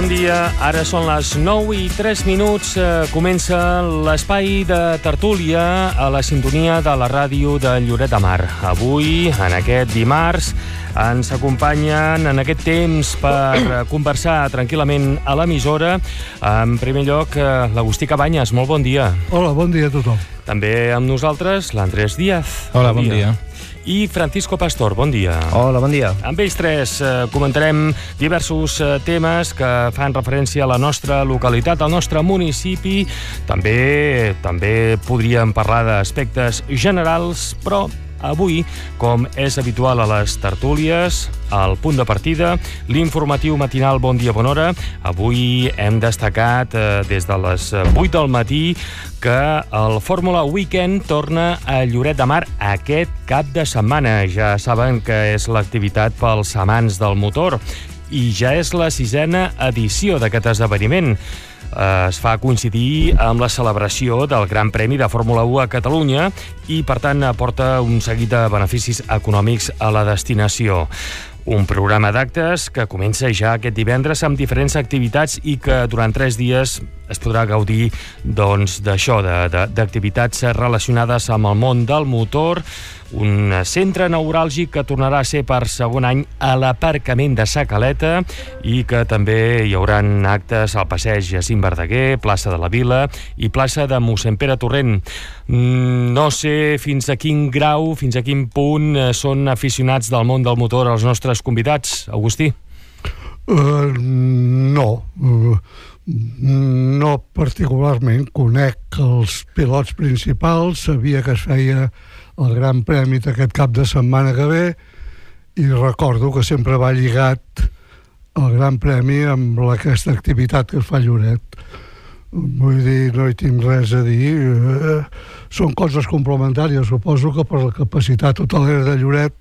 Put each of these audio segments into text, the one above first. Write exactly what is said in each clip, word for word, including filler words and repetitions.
Bon dia, ara són les nou i tres minuts. Eh, comença l'espai de tertúlia a la sintonia de la ràdio de Lloret de Mar. Avui, en aquest dimarts, ens acompanyen en aquest temps per conversar tranquil·lament a l'emissora. En primer lloc, l'Agustí Cabanyes, molt bon dia. Hola, bon dia a tothom. També amb nosaltres, l'Andrés Díaz. Hola, bon dia. I Francisco Pastor, bon dia. Hola, bon dia. Amb ells tres eh, comentarem diversos eh, temes que fan referència a la nostra localitat, al nostre municipi. També, també podríem parlar d'aspectes generals, però avui, com és habitual a les tertúlies, al punt de partida, l'informatiu matinal Bon Dia, Bona Hora. Avui hem destacat eh, des de les vuit del matí que el Fórmula Weekend torna a Lloret de Mar aquest cap de setmana. Ja saben que és l'activitat pels amants del motor i ja és la sisena edició d'aquest esdeveniment. Es fa coincidir amb la celebració del Gran Premi de Fórmula u a Catalunya i, per tant, aporta un seguit de beneficis econòmics a la destinació. Un programa d'actes que comença ja aquest divendres amb diferents activitats i que durant tres dies es podrà gaudir doncs, d'això, d'activitats relacionades amb el món del motor. Un centre neuràlgic que tornarà a ser per segon any a l'aparcament de Sa Caleta i que també hi haurà actes al passeig Jacint Verdaguer, plaça de la Vila i plaça de mossèn Pere Torrent. No sé fins a quin grau, fins a quin punt són aficionats del món del motor els nostres convidats. Agustí? Uh, no. Uh, no particularment. Conec els pilots principals, sabia que es feia el Gran Premi d'aquest cap de setmana que ve i recordo que sempre va lligat el Gran Premi amb aquesta activitat que es fa a Lloret. Vull dir, no hi tinc res a dir. Eh, són coses complementàries. Suposo que per la capacitat hotelera de Lloret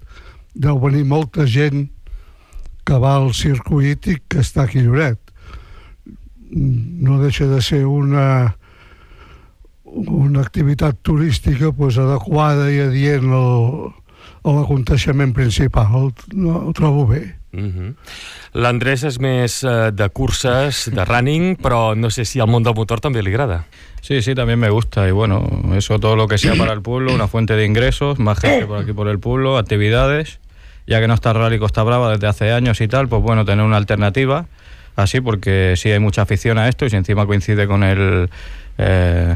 deu venir molta gent que va al circuit i que està aquí a Lloret. No deixa de ser una una activitat turística pues, adequada i adient al, a l'aconteixement principal. No, ho trobo bé. Mm-hmm. L'Andrés és més eh, de curses, de running, però no sé si al món del motor també li agrada. Sí, sí, también me gusta. Y bueno, eso todo lo que sea para el pueblo, una fuente de ingresos, más gente por aquí por el pueblo, actividades. Ya que no está Rally Costa Brava desde hace años y tal, pues bueno, tener una alternativa así, porque sí hay mucha afición a esto y si encima coincide con el... Eh,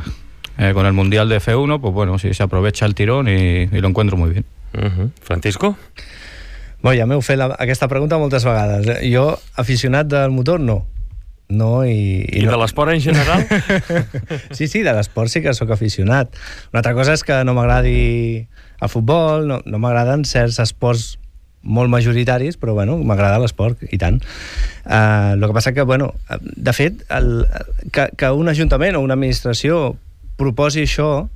Eh, con el Mundial de F uno, pues bueno, sí, se aprovecha el tirón y, y lo encuentro muy bien. Uh-huh. Francisco? Bé, ja m'heu fet la, aquesta pregunta moltes vegades. Jo, aficionat del motor, no. No i... I, I no. De l'esport en general? Sí, sí, de l'esport sí que sóc aficionat. Una altra cosa és que no m'agradi el futbol, no, no m'agraden certs esports molt majoritaris, però bueno, m'agrada l'esport, i tant. Uh, el que passa que, bueno, de fet, el, que, que un ajuntament o una administració proposi això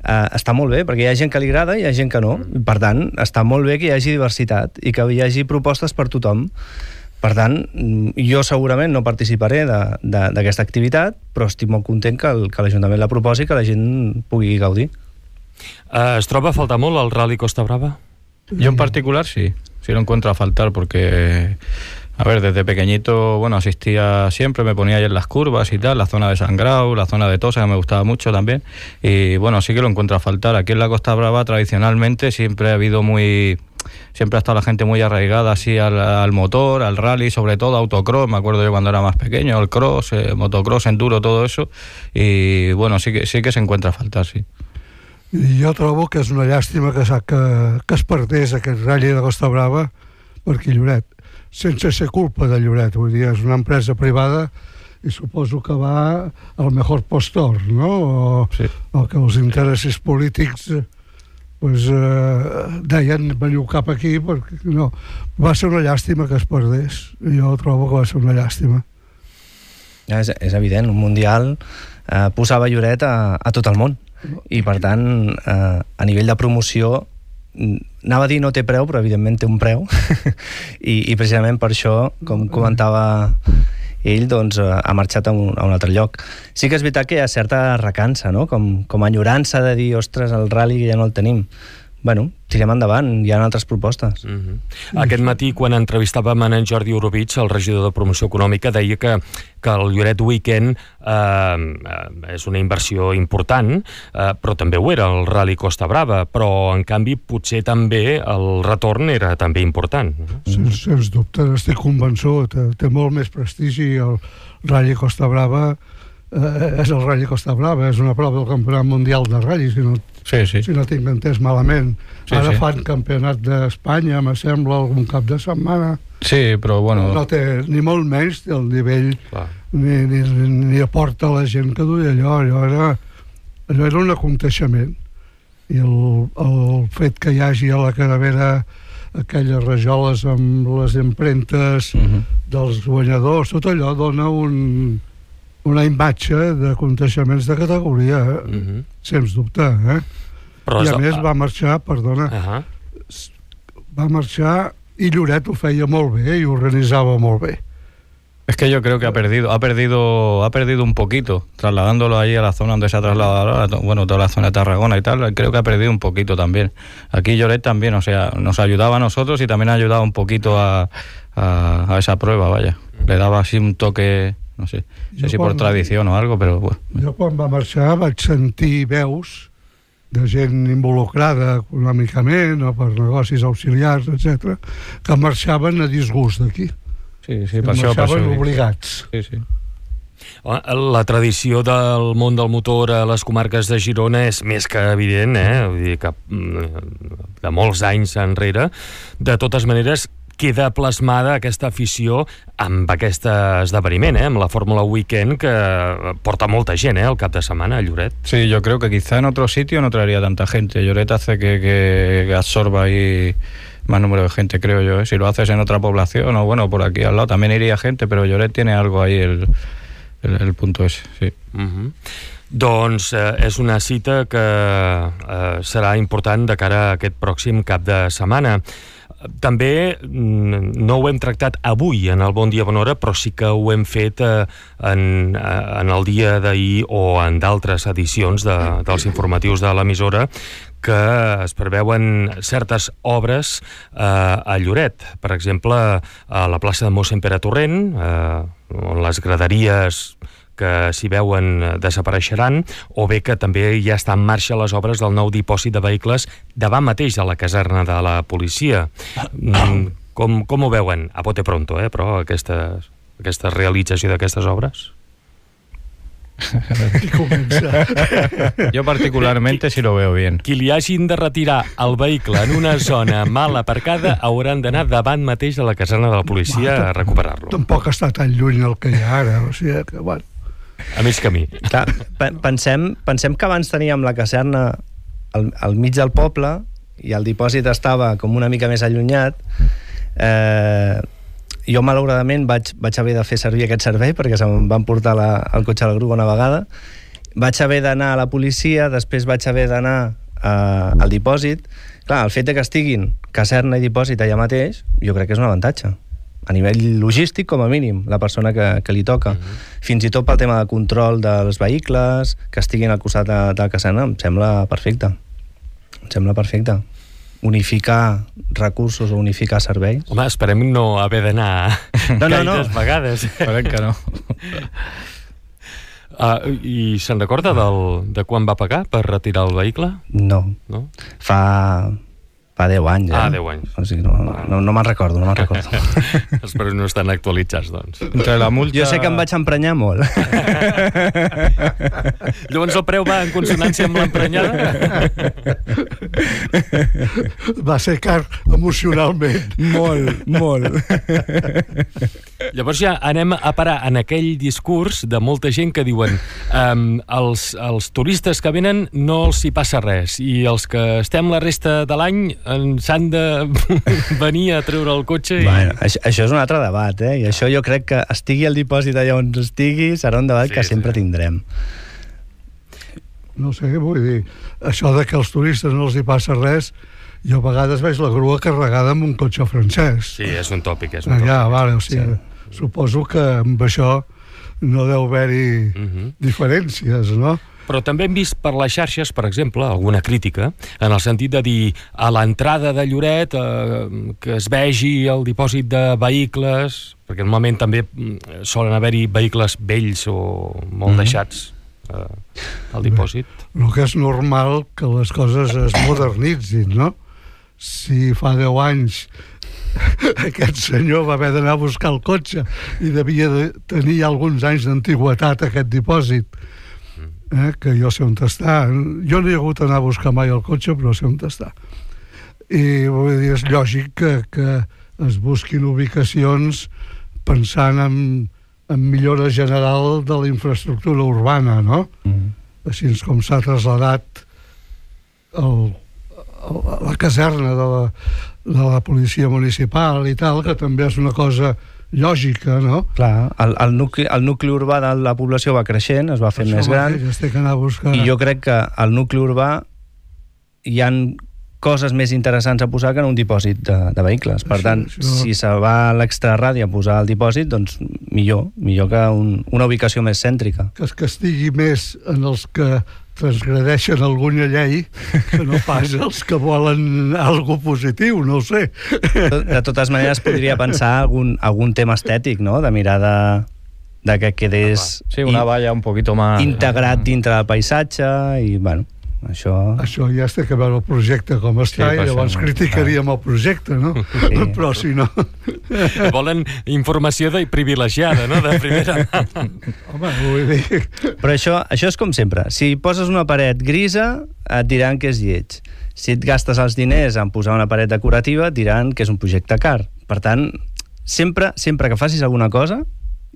eh, està molt bé, perquè hi ha gent que li agrada i hi ha gent que no. Per tant, està molt bé que hi hagi diversitat i que hi hagi propostes per tothom. Per tant, jo segurament no participaré d'aquesta activitat, però estic molt content que, el, que l'Ajuntament la proposi i que la gent pugui gaudir. Uh, ¿Es troba a faltar molt el Rally Costa Brava? Yo en particular sí, sí lo encuentro a faltar porque... A ver, desde pequeñito, bueno, asistía siempre, me ponía ahí en las curvas y tal, la zona de San Grau, la zona de Tosa, que me gustaba mucho también. Y bueno, sí que lo encuentro a faltar. Aquí en la Costa Brava, tradicionalmente, siempre ha habido muy... Siempre ha estado la gente muy arraigada así al, al motor, al rally, sobre todo autocross. Me acuerdo yo cuando era más pequeño, el cross, eh, motocross, enduro, todo eso. Y bueno, sí que, sí que se encuentra a faltar, sí. Jo trobo que és una llàstima que, que, que es perdés aquest rally de Costa Brava per aquí Lloret, sense ser culpa de Lloret. Vull dir, és una empresa privada i suposo que va al mejor postor, no? O, sí. O que els interessos polítics pues, eh, deien veniu cap aquí, perquè no. Va ser una llàstima que es perdés. Jo trobo que va ser una llàstima. Ja, és, és evident, un mundial eh, posava Lloret a, a tot el món. I per tant, eh, a nivell de promoció, anava a dir no té preu, però evidentment té un preu. I, i precisament per això, com comentava ell, doncs, ha marxat a un, a un altre lloc. Sí que és veritat que hi ha certa recança, no? Com, com a enyorança de dir, ostres, el rally ja no el tenim. bueno, tirem endavant, hi ha altres propostes. Mm-hmm. Aquest matí, quan entrevistàvem en Jordi Orovich, el regidor de Promoció Econòmica, deia que, que el Lloret Weekend eh, és una inversió important, eh, però també ho era el Rally Costa Brava, però en canvi potser també el retorn era també important. Sens, sens dubte, estic convençut, té molt més prestigi el Rally Costa Brava, eh, és el Rally Costa Brava, és una prova del Campionat Mundial de Rally, si no Sí, sí. si no tinc entès malament. Sí, Ara sí. fan campionat d'Espanya, me sembla, algun cap de setmana. Sí, però bueno... No té ni molt menys el nivell, ni, ni, ni aporta la gent que duia allò. Allò era, allò era un aconteixement. I el, el fet que hi hagi a la caravera aquelles rajoles amb les empremtes uh-huh. dels guanyadors, tot allò dona un... una imatge d'aconteixements de categoria, eh? uh-huh. sens dubte, eh? Però I a més va marxar, perdona, uh-huh. va marxar y Lloret ho feia molt bé i organitzava molt bé. Es que yo creo que ha perdido, ha perdido, ha perdido un poquito, trasladándolo ahí a la zona donde se ha trasladado ahora, bueno, toda la zona de Tarragona y tal, creo que ha perdido un poquito también. Aquí Lloret también, o sea, nos ayudaba a nosotros y también ha ayudado un poquito a, a, a esa prueba, vaya. Le daba así un toque... no sé, no sé si per tradició o algo, però... Bueno. Jo quan va marxar vaig sentir veus de gent involucrada econòmicament o per negocis auxiliars, etcètera, que marxaven a disgust d'aquí. Sí, sí, per això, marxaven per obligats. Sí, sí. La tradició del món del motor a les comarques de Girona és més que evident, eh? Vull dir que de molts anys enrere. De totes maneres, queda plasmada aquesta afició amb aquest esdeveniment, eh? Amb la Fórmula Weekend, que porta molta gent, eh? El cap de setmana a Lloret. Sí, yo creo que quizá en otro sitio no traería tanta gente. Lloret hace que, que, que absorba ahí más número de gente, creo yo, ¿eh? Si lo haces en otra población o bueno, por aquí al lado también iría gente, pero Lloret tiene algo ahí, el, el, el punto ese, sí. Uh-huh. Doncs eh, és una cita que eh, serà important de cara a aquest pròxim cap de setmana. També no ho hem tractat avui en el Bon Dia Bona Hora, però sí que ho hem fet eh, en, en el dia d'ahir o en d'altres edicions de, dels informatius de l'emissora, que es preveuen certes obres eh, a Lloret. Per exemple, a la plaça de Mossèn Pere Torrent, eh, on les graderies que s'hi veuen desapareixeran, o bé que també ja està en marxa les obres del nou dipòsit de vehicles davant mateix de la caserna de la policia. Com, com ho veuen? A bote pronto, eh, però aquesta, aquesta realització d'aquestes obres? Yo particularmente sí lo veo bien. Qui li hagin de retirar el vehicle en una zona mal aparcada hauran d'anar davant mateix de la caserna de la policia a recuperar-lo. Tampoc està tan lluny el que hi ha ara, o sigui que, bueno... A mig camí. Clar, pensem, pensem que abans teníem la caserna al, al mig del poble i el dipòsit estava com una mica més allunyat. Eh, jo malauradament vaig, vaig haver de fer servir aquest servei perquè se'm van portar la, el cotxe a la grua una vegada. Vaig haver d'anar a la policia, després vaig haver d'anar eh, al dipòsit. Clar, el fet de que estiguin caserna i dipòsit allà mateix, jo crec que és un avantatge. A nivell logístic, com a mínim, la persona que, que li toca. Uh-huh. Fins i tot pel tema de control dels vehicles, que estiguin al costat de, de la caserna, em sembla perfecte. Em sembla perfecte. Unificar recursos o unificar serveis. Home, esperem no haver d'anar no, no, gaires no. vegades. Esperem que no. Uh, I se'n recorda del, de quan va pagar per retirar el vehicle? No. No? Fa... Fa deu anys, eh? Ah, deu anys. O sigui, no, no, no me'n recordo, no me'n recordo. Espero que no estan actualitzats, doncs. Entre la multa... Jo sé que em vaig emprenyar molt. Llavors el preu va en consonància amb l'emprenyada? Va ser car emocionalment. Molt, molt. Llavors ja anem a parar en aquell discurs de molta gent que diuen um, els, els turistes que venen no els hi passa res i els que estem la resta de l'any s'han de venir a treure el cotxe i... Bueno, això, això és un altre debat, eh? I això jo crec que estigui el dipòsit allà on estigui serà un debat sí, que sempre sí. tindrem. No sé, vull dir, això de que als turistes no els hi passa res, jo a vegades veig la grua carregada amb un cotxe francès. Sí, és un tòpic, és un tòpic. Allà, vale, o sigui, sí. Suposo que amb això no deu haver-hi uh-huh. diferències, no? Però també hem vist per les xarxes, per exemple, alguna crítica, en el sentit de dir a l'entrada de Lloret eh, que es vegi el dipòsit de vehicles, perquè normalment també solen haver-hi vehicles vells o molt mm-hmm. deixats eh, al dipòsit. Bé, el que és normal que les coses es modernitzin, no? Si fa deu anys aquest senyor va haver d'anar a buscar el cotxe i devia de tenir alguns anys d'antigüetat aquest dipòsit, eh, que jo sé on està. Jo no he hagut d'anar a buscar mai el cotxe, però sé on està. I vull dir, és lògic que, que es busquin ubicacions pensant en, en millora general de la infraestructura urbana, no? Mm. Així com s'ha traslladat el la caserna de la, de la policia municipal i tal, que també és una cosa lògica, no? Clar, el, el, nucli, el nucli urbà de la població va creixent, es va fent més gran, i jo crec que al nucli urbà hi ha coses més interessants a posar que en un dipòsit de, de vehicles. Per tant, això, això... si se va a l'extraradi a posar el dipòsit, doncs millor, millor que un, una ubicació més cèntrica. Que es castigui més en els que transgredeixen alguna llei que no pas els que volen algo positiu, no ho sé. De totes maneres, podria pensar algun, algun tema estètic, no?, de mirar de, de que quedés... Sí, una valla un poquito más... integrat dintre del paisatge i, bueno, això... Això ja es té que veure el projecte com està, sí, i llavors no, criticaríem el projecte, no? Sí. Però si no... Volen informació de privilegiada, no?, de primera mà. Home, vull dir... Però això, això és com sempre. Si poses una paret grisa, et diran que és lleig. Si et gastes els diners en posar una paret decorativa, et diran que és un projecte car. Per tant, sempre, sempre que facis alguna cosa,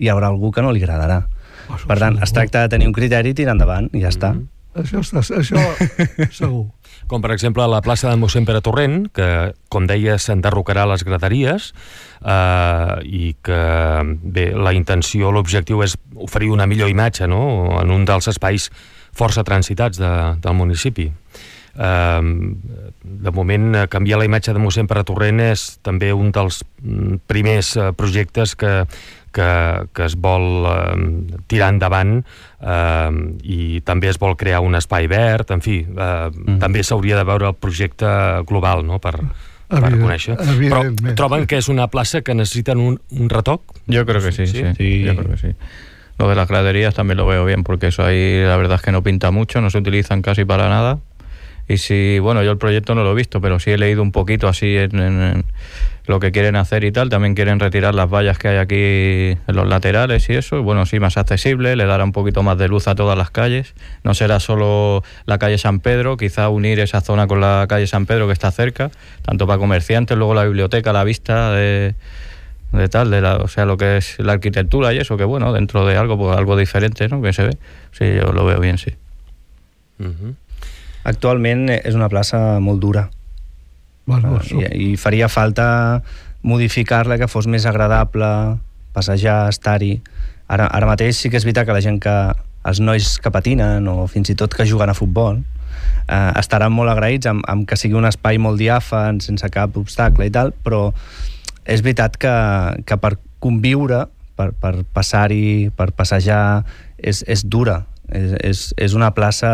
hi haurà algú que no li agradarà. Oh, per tant, es tracta de tenir un criteri i tirar endavant, i ja mm-hmm. està. Això està, això segur. Com, per exemple, a la plaça de mossèn Pere Torrent, que, com deia, s'enderrocarà les graderies eh, i que, bé, la intenció, l'objectiu és oferir una millor imatge, no?, en un dels espais força transitats de, del municipi. Eh, de moment, canviar la imatge de mossèn Pere Torrent és també un dels primers projectes que Que, que es vol eh, tirar endavant eh, i també es vol crear un espai verd, en fi, eh, mm. també s'hauria de veure el projecte global, no?, per, per Evident, conèixer. Però troben que és una plaça que necessiten un, un retoc? Yo creo que sí, sí, sí, sí, yo creo que sí. Lo de las graderías también lo veo bien, porque eso ahí la verdad es que no pinta mucho, no se utilizan casi para nada. Y si, bueno, yo el proyecto no lo he visto, pero sí he leído un poquito así en, en, en lo que quieren hacer y tal. También quieren retirar las vallas que hay aquí en los laterales y eso. Y bueno, sí, más accesible, le dará un poquito más de luz a todas las calles. No será solo la calle San Pedro, quizá unir esa zona con la calle San Pedro que está cerca, tanto para comerciantes, luego la biblioteca, la vista de... de tal, de la, o sea, lo que es la arquitectura y eso, que bueno, dentro de algo, pues algo diferente, ¿no?, que se ve. Sí, yo lo veo bien, sí. Uh-huh. Actualment és una plaça molt dura. Bueno, uh, i, I faria falta modificar-la, que fos més agradable, passejar, estar-hi. Ara, ara mateix sí que és veritat que la gent que... els nois que patinen o fins i tot que juguen a futbol eh, estaran molt agraïts amb, amb que sigui un espai molt diàfan, sense cap obstacle i tal, però és veritat que, que per conviure, per, per passar-hi, per passejar, és, és dura. És, és, és una plaça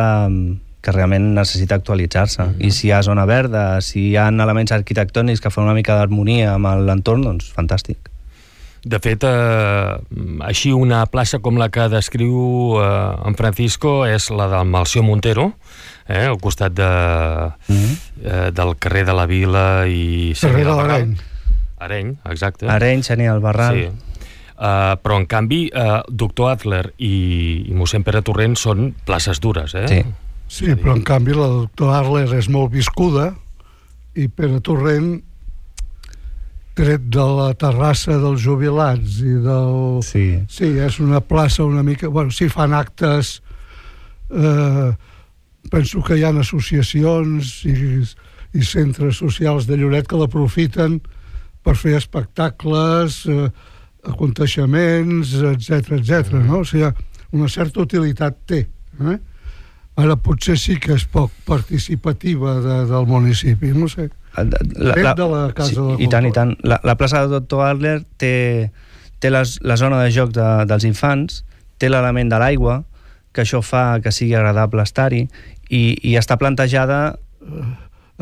que realment necessita actualitzar-se. Mm-hmm. I si hi ha zona verda, si hi ha elements arquitectònics que fan una mica d'harmonia amb l'entorn, doncs fantàstic. De fet, eh, així una plaça com la que descriu eh, en Francisco és la del Melcior Montero, eh, al costat de, mm-hmm. eh, del carrer de la Vila i... Carrer de l'Areny. Areny, exacte. Areny, Xeni del Barral. Sí. Uh, però en canvi uh, Doctor Adler i, i mossèn Pere Torrent són places dures, eh? Sí. Sí, però en canvi la Doctor Adler és molt viscuda i Pere Torrent, tret de la terrassa dels jubilats i del... Sí. Sí, és una plaça una mica... Bueno, sí, fan actes... Eh, penso que hi ha associacions i, i centres socials de Lloret que l'aprofiten per fer espectacles, eh, aconteixements, etcètera, etcètera, no? O sigui, una certa utilitat té, eh? Ara potser sí que és poc participativa de, del municipi, no sé. La, la, de la Casa sí, de la I tant, i tant. La, la plaça de Doctor Adler té, té les, la zona de joc de, dels infants, té l'element de l'aigua, que això fa que sigui agradable estar-hi, i, i està plantejada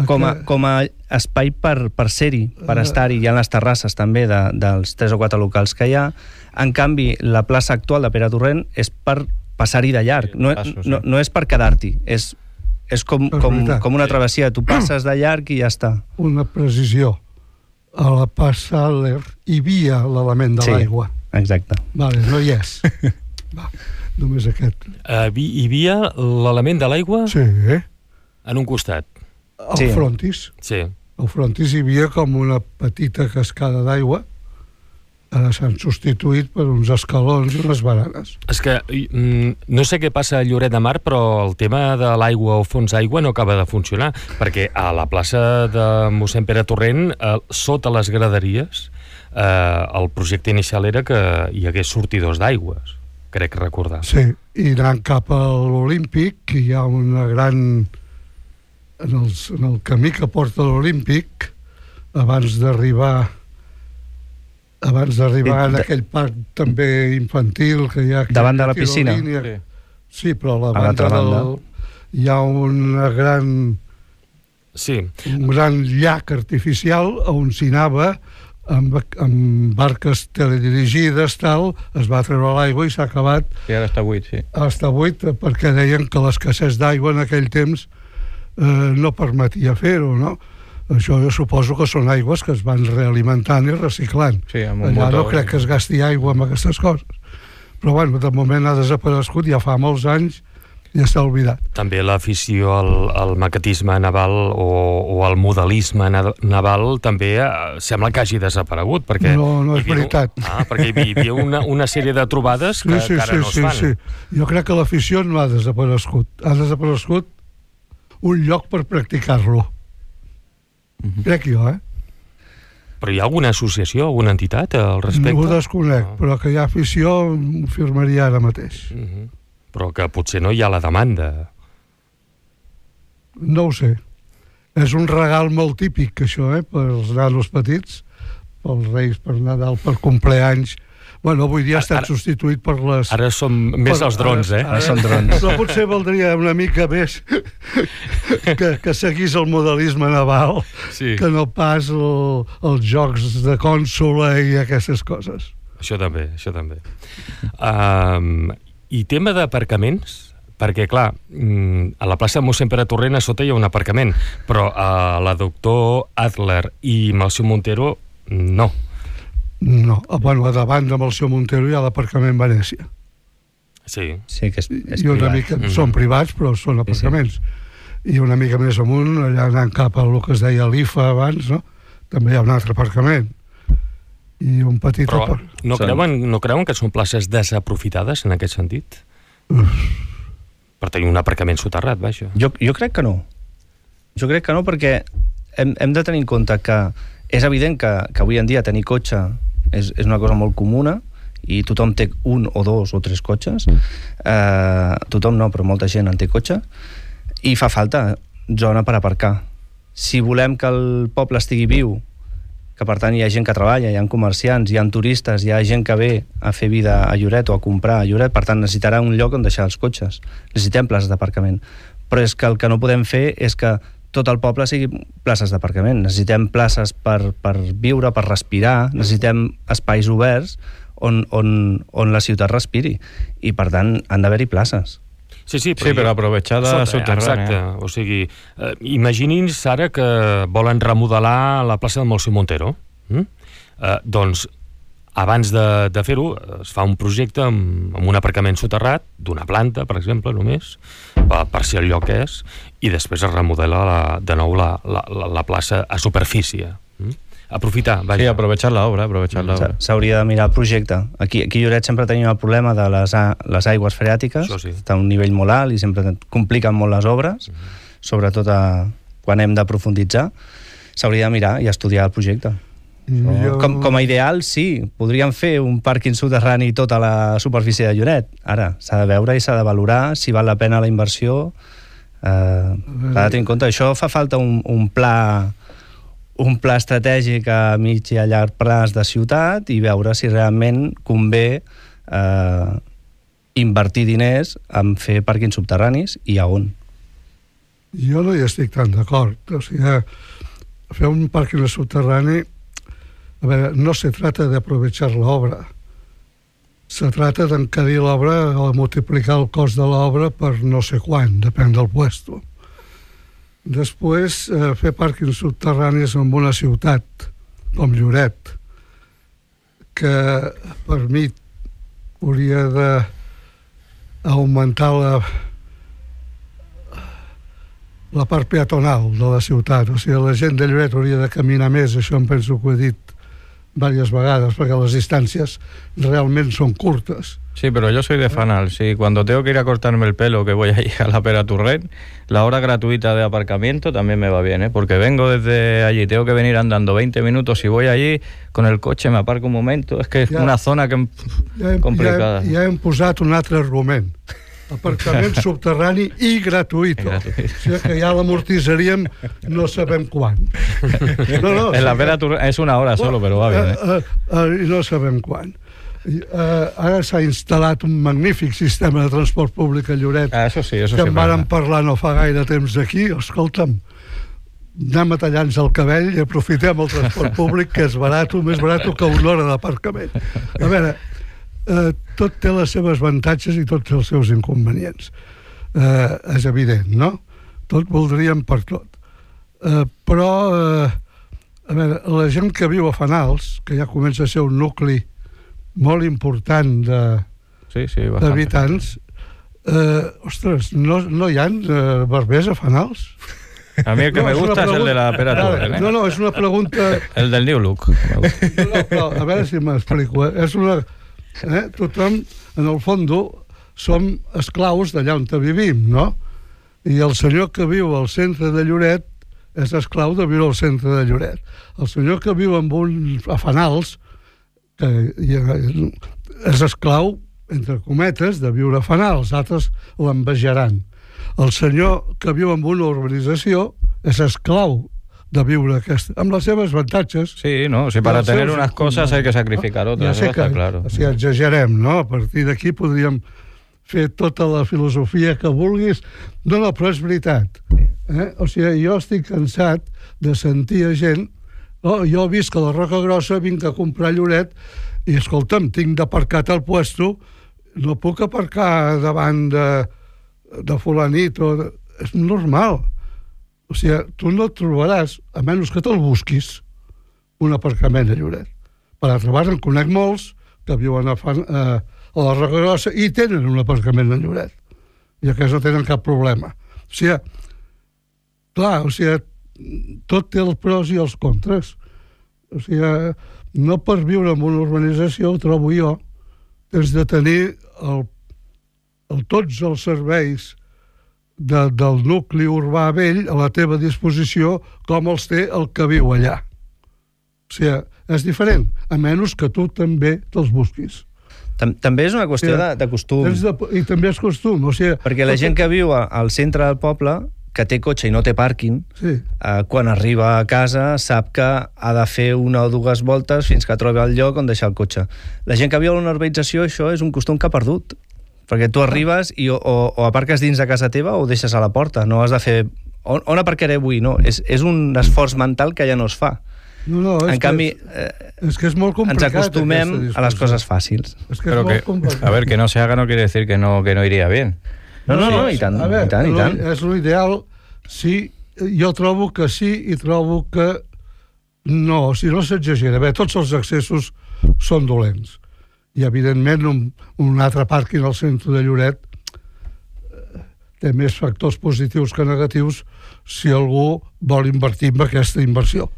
com a, com a espai per, per ser-hi, per estar-hi. Hi ha les terrasses també de, dels tres o quatre locals que hi ha. En canvi, la plaça actual de Pere Torrent és per passar-hi de llarg, no, no, no és per quedar-t'hi, és, és com, com, com una travessia, tu passes de llarg i ja està. Una precisió, a la passa hi havia l'element de sí, l'aigua. Exacte. Vale, no hi és. Va, només aquest. Uh, hi havia l'element de l'aigua? Sí. En un costat? Al sí. frontis. Sí. Al frontis hi havia com una petita cascada d'aigua. Ara s'han substituït per uns escalons i unes baranes. És que mm, no sé què passa a Lloret de Mar, però el tema de l'aigua o fons d'aigua no acaba de funcionar, perquè a la plaça de mossèn Pere Torrent, eh, sota les graderies, eh, el projecte inicial era que hi hagués sortidors d'aigües, crec recordar. Sí, i anant cap a l'Olímpic, hi ha una gran... En, els, en el camí que porta a l'Olímpic, abans d'arribar abans d'arribar en aquell parc també infantil que hi ha aquí, davant de la piscina. Sí. Sí, però a la a banda del, banda hi ha una gran sí. un gran llac artificial on s'hi anava amb, amb barques teledirigides, tal, es va treure l'aigua i s'ha acabat. I ara està buit, sí. Està buit perquè deien que l'escassez d'aigua en aquell temps eh, no permetia fer-ho, no? Això jo suposo que són aigües que es van realimentant i reciclant. Sí, amb un Allà motor. no crec que es gasti aigua amb aquestes coses. Però bueno, de moment ha desaparegut, ja fa molts anys i està oblidat. També l'afició al, al maquetisme naval o, o al modelisme na, naval també eh, sembla que hagi desaparegut. Perquè no, no és hi havia, veritat. Ah, perquè hi havia una, una sèrie de trobades que, sí, sí, que ara sí, no es sí, fan. Sí. Jo crec que l'afició no ha desaparegut. Ha desaparegut un lloc per practicar-lo. Mm-hmm. Crec jo, eh? Però hi ha alguna associació, alguna entitat al respecte? No ho desconec, no. Però que hi ha afició ho firmaria ara mateix. Mm-hmm. Però que potser no hi ha la demanda. No ho sé. És un regal molt típic, això, eh? Per als nanos petits, pels Reis, per Nadal, per compleanys. Bueno, avui dia ha estat ara, substituït per les... Ara són més per, els drons, eh? Ara, ara són drons. Però potser valdria una mica més que, que seguís el modelisme naval, sí. Que no pas el, els jocs de cònsola i aquestes coses. Això també, això també. Um, I tema d'aparcaments? Perquè, clar, a la plaça de mossèn Pere Torrent a sota hi ha un aparcament, però a la doctor Adler i Melcior Montero no. No, bueno, a davant de Melcior Montero hi ha l'aparcament Venècia. Sí. Sí, que és, és I una privat. mica, mm-hmm. Són privats, però són aparcaments. Sí, sí. I una mica més amunt, allà anant cap a el que es deia l'I F A abans, no? També hi ha un altre aparcament. I un petit... Però apar... no creuen, no creuen que són places desaprofitades en aquest sentit? Uf. Per tenir un aparcament soterrat, vaja. Jo, jo crec que no. Jo crec que no, perquè hem, hem de tenir en compte que és evident que, que avui en dia tenir cotxe és, és una cosa molt comuna i tothom té un o dos o tres cotxes. Eh, tothom no, però molta gent en té cotxe. I fa falta zona per aparcar. Si volem que el poble estigui viu, que per tant hi ha gent que treballa, hi ha comerciants, hi ha turistes, hi ha gent que ve a fer vida a Lloret o a comprar a Lloret, per tant necessitarà un lloc on deixar els cotxes. Necessitem places d'aparcament. Però és que el que no podem fer és que tot el poble sigui places d'aparcament. Necessitem places per, per viure, per respirar, necessitem espais oberts on, on, on la ciutat respiri. I, per tant, han d'haver-hi places. Sí, sí, però, sí, però aprovechada subterrània. Exacte, o sigui, eh, imagini'ns ara que volen remodelar la plaça de Melcior Montero. Mm? Eh, doncs, abans de, de fer-ho, es fa un projecte amb, amb un aparcament soterrat, d'una planta, per exemple, només, per, per si el lloc és, i després es remodela la, de nou la, la, la, la plaça a superfície. Mm? Aprofitar, vaja. Sí, aprovechar l'obra, aprovechar l'obra. S'hauria de mirar el projecte. Aquí, aquí a Lloret sempre tenim el problema de les, a, les aigües freàtiques, sí. Està a un nivell molt alt i sempre compliquen molt les obres, mm-hmm. sobretot a, quan hem de profunditzar. S'hauria de mirar i estudiar el projecte. Jo... Com, com a ideal, sí. Podríem fer un pàrquing soterrani tota la superfície de Lloret. Ara, s'ha de veure i s'ha de valorar si val la pena la inversió. Eh, s'ha de tenir en compte. Això fa falta un, un pla un pla estratègic a mig i a llarg plaç de ciutat i veure si realment convé eh, invertir diners en fer pàrquings subterranis i a on? Jo no hi estic tan d'acord. O sigui, fer un pàrquing subterrani, a veure, no se trata de aprovechar l'obra. Se trata d'encarir l'obra o multiplicar el cost de l'obra per no sé quan, depèn del puesto. Després, eh, fer pàrquings subterranis en una ciutat com Lloret, que per mi hauria d'augmentar la, la part peatonal de la ciutat. O sigui, la gent de Lloret hauria de caminar més, això em penso que ho he dit varias vagadas, porque las distancias realmente son cortas. Sí, pero yo soy de Fanal. Sí, cuando tengo que ir a cortarme el pelo, que voy ahí a la Pera Turret, la hora gratuita de aparcamiento también me va bien, ¿eh? Porque vengo desde allí, tengo que venir andando veinte minutos. Si voy allí con el coche, me aparco un momento. Es que es ja, una zona que ja hem, complicada. Ja, ja hem posat un altre argument. Aparcament subterrani i gratuït. O sigui que ja l'amortitzaríem no sabem quan. No, no, en la Pera Turret és una hora solo, però va bé. Eh? Uh, uh, uh, no sabem quan. Uh, ara s'ha instal·lat un magnífic sistema de transport públic a Lloret, ah, eso sí, eso que sí, en vàrem parlar no fa gaire temps aquí. Escolta'm, anem a tallar-nos el cabell i aprofitem el transport públic, que és barat, més barat que una hora d'aparcament. A veure, Uh, tot té les seves avantatges i tots els seus inconvenients. Uh, és evident, no? Tot voldríem per tot. Uh, però, uh, a veure, la gent que viu a Fanals, que ja comença a ser un nucli molt important de, sí, sí, d'habitants, uh, ostres, no, no hi ha uh, barbers a Fanals? A mí el que no, me gusta es el de la Pera Turret. ¿eh? No, no, és una pregunta... El del New Look. No, no, a veure si m'explico. Eh? És una... Eh? Tothom, en el fons, som esclaus d'allà on vivim, no? I el senyor que viu al centre de Lloret és esclau de viure al centre de Lloret. El senyor que viu amb un a Fanals, que és esclau, entre cometes, de viure a Fanals, altres l'envejaran. El senyor que viu en una urbanització és esclau de viure aquesta, amb les seves avantatges. Sí, no, si para tener unas cosas hay que sacrificar otras, ja sé que, que, claro. O sigui, exagerem, no? A partir d'aquí podríem fer tota la filosofia que vulguis. No, no, però és veritat. Eh? O sigui, jo estic cansat de sentir a gent... Oh, jo visc a la Roca Grossa, vinc a comprar Lloret i, escolta'm, tinc d'aparcar al puesto, no puc aparcar davant de, de fulanit o... De... És normal. O sigui, tu no trobaràs, a menys que te'l busquis, un aparcament a Lloret. Per altra banda, en conec molts que viuen a, Fan, a, a la Roca Grossa i tenen un aparcament a Lloret. I aquests no tenen cap problema. O sigui, clar, o sigui, tot té els pros i els contres. O sigui, no per viure en una urbanització, ho trobo jo, tens de tenir el, el, tots els serveis De, del nucli urbà vell a la teva disposició com els té el que viu allà. O sigui, és diferent, a menys que tu també te'ls busquis. També és una qüestió o sigui, de, de costum. De, I també és costum. O sigui, perquè la gent que viu al centre del poble, que té cotxe i no té pàrquing, sí. eh, quan arriba a casa sap que ha de fer una o dues voltes fins que trobi el lloc on deixar el cotxe. La gent que viu a una urbanització, això és un costum que ha perdut. Perquè tu arribes i o, o aparques dins de casa teva o deixes a la porta. No has de fer... On, on aparcaré avui? No, és, és un esforç mental que ja no es fa. No, no, és en canvi, que és, és que és molt complicat. Ens acostumem a les coses fàcils. És que Pero és que, molt a ver, que no se haga no quiere decir que no, que no iría bien. No, no, no, no i tant, a veure, i tant, i tant. És l'ideal, sí, jo trobo que sí i trobo que no, o sigui, no s'exagera. Bé, tots els accessos són dolents. I, evidentment, un, un altre pàrquing al centre de Lloret té més factors positius que negatius si algú vol invertir en aquesta inversió.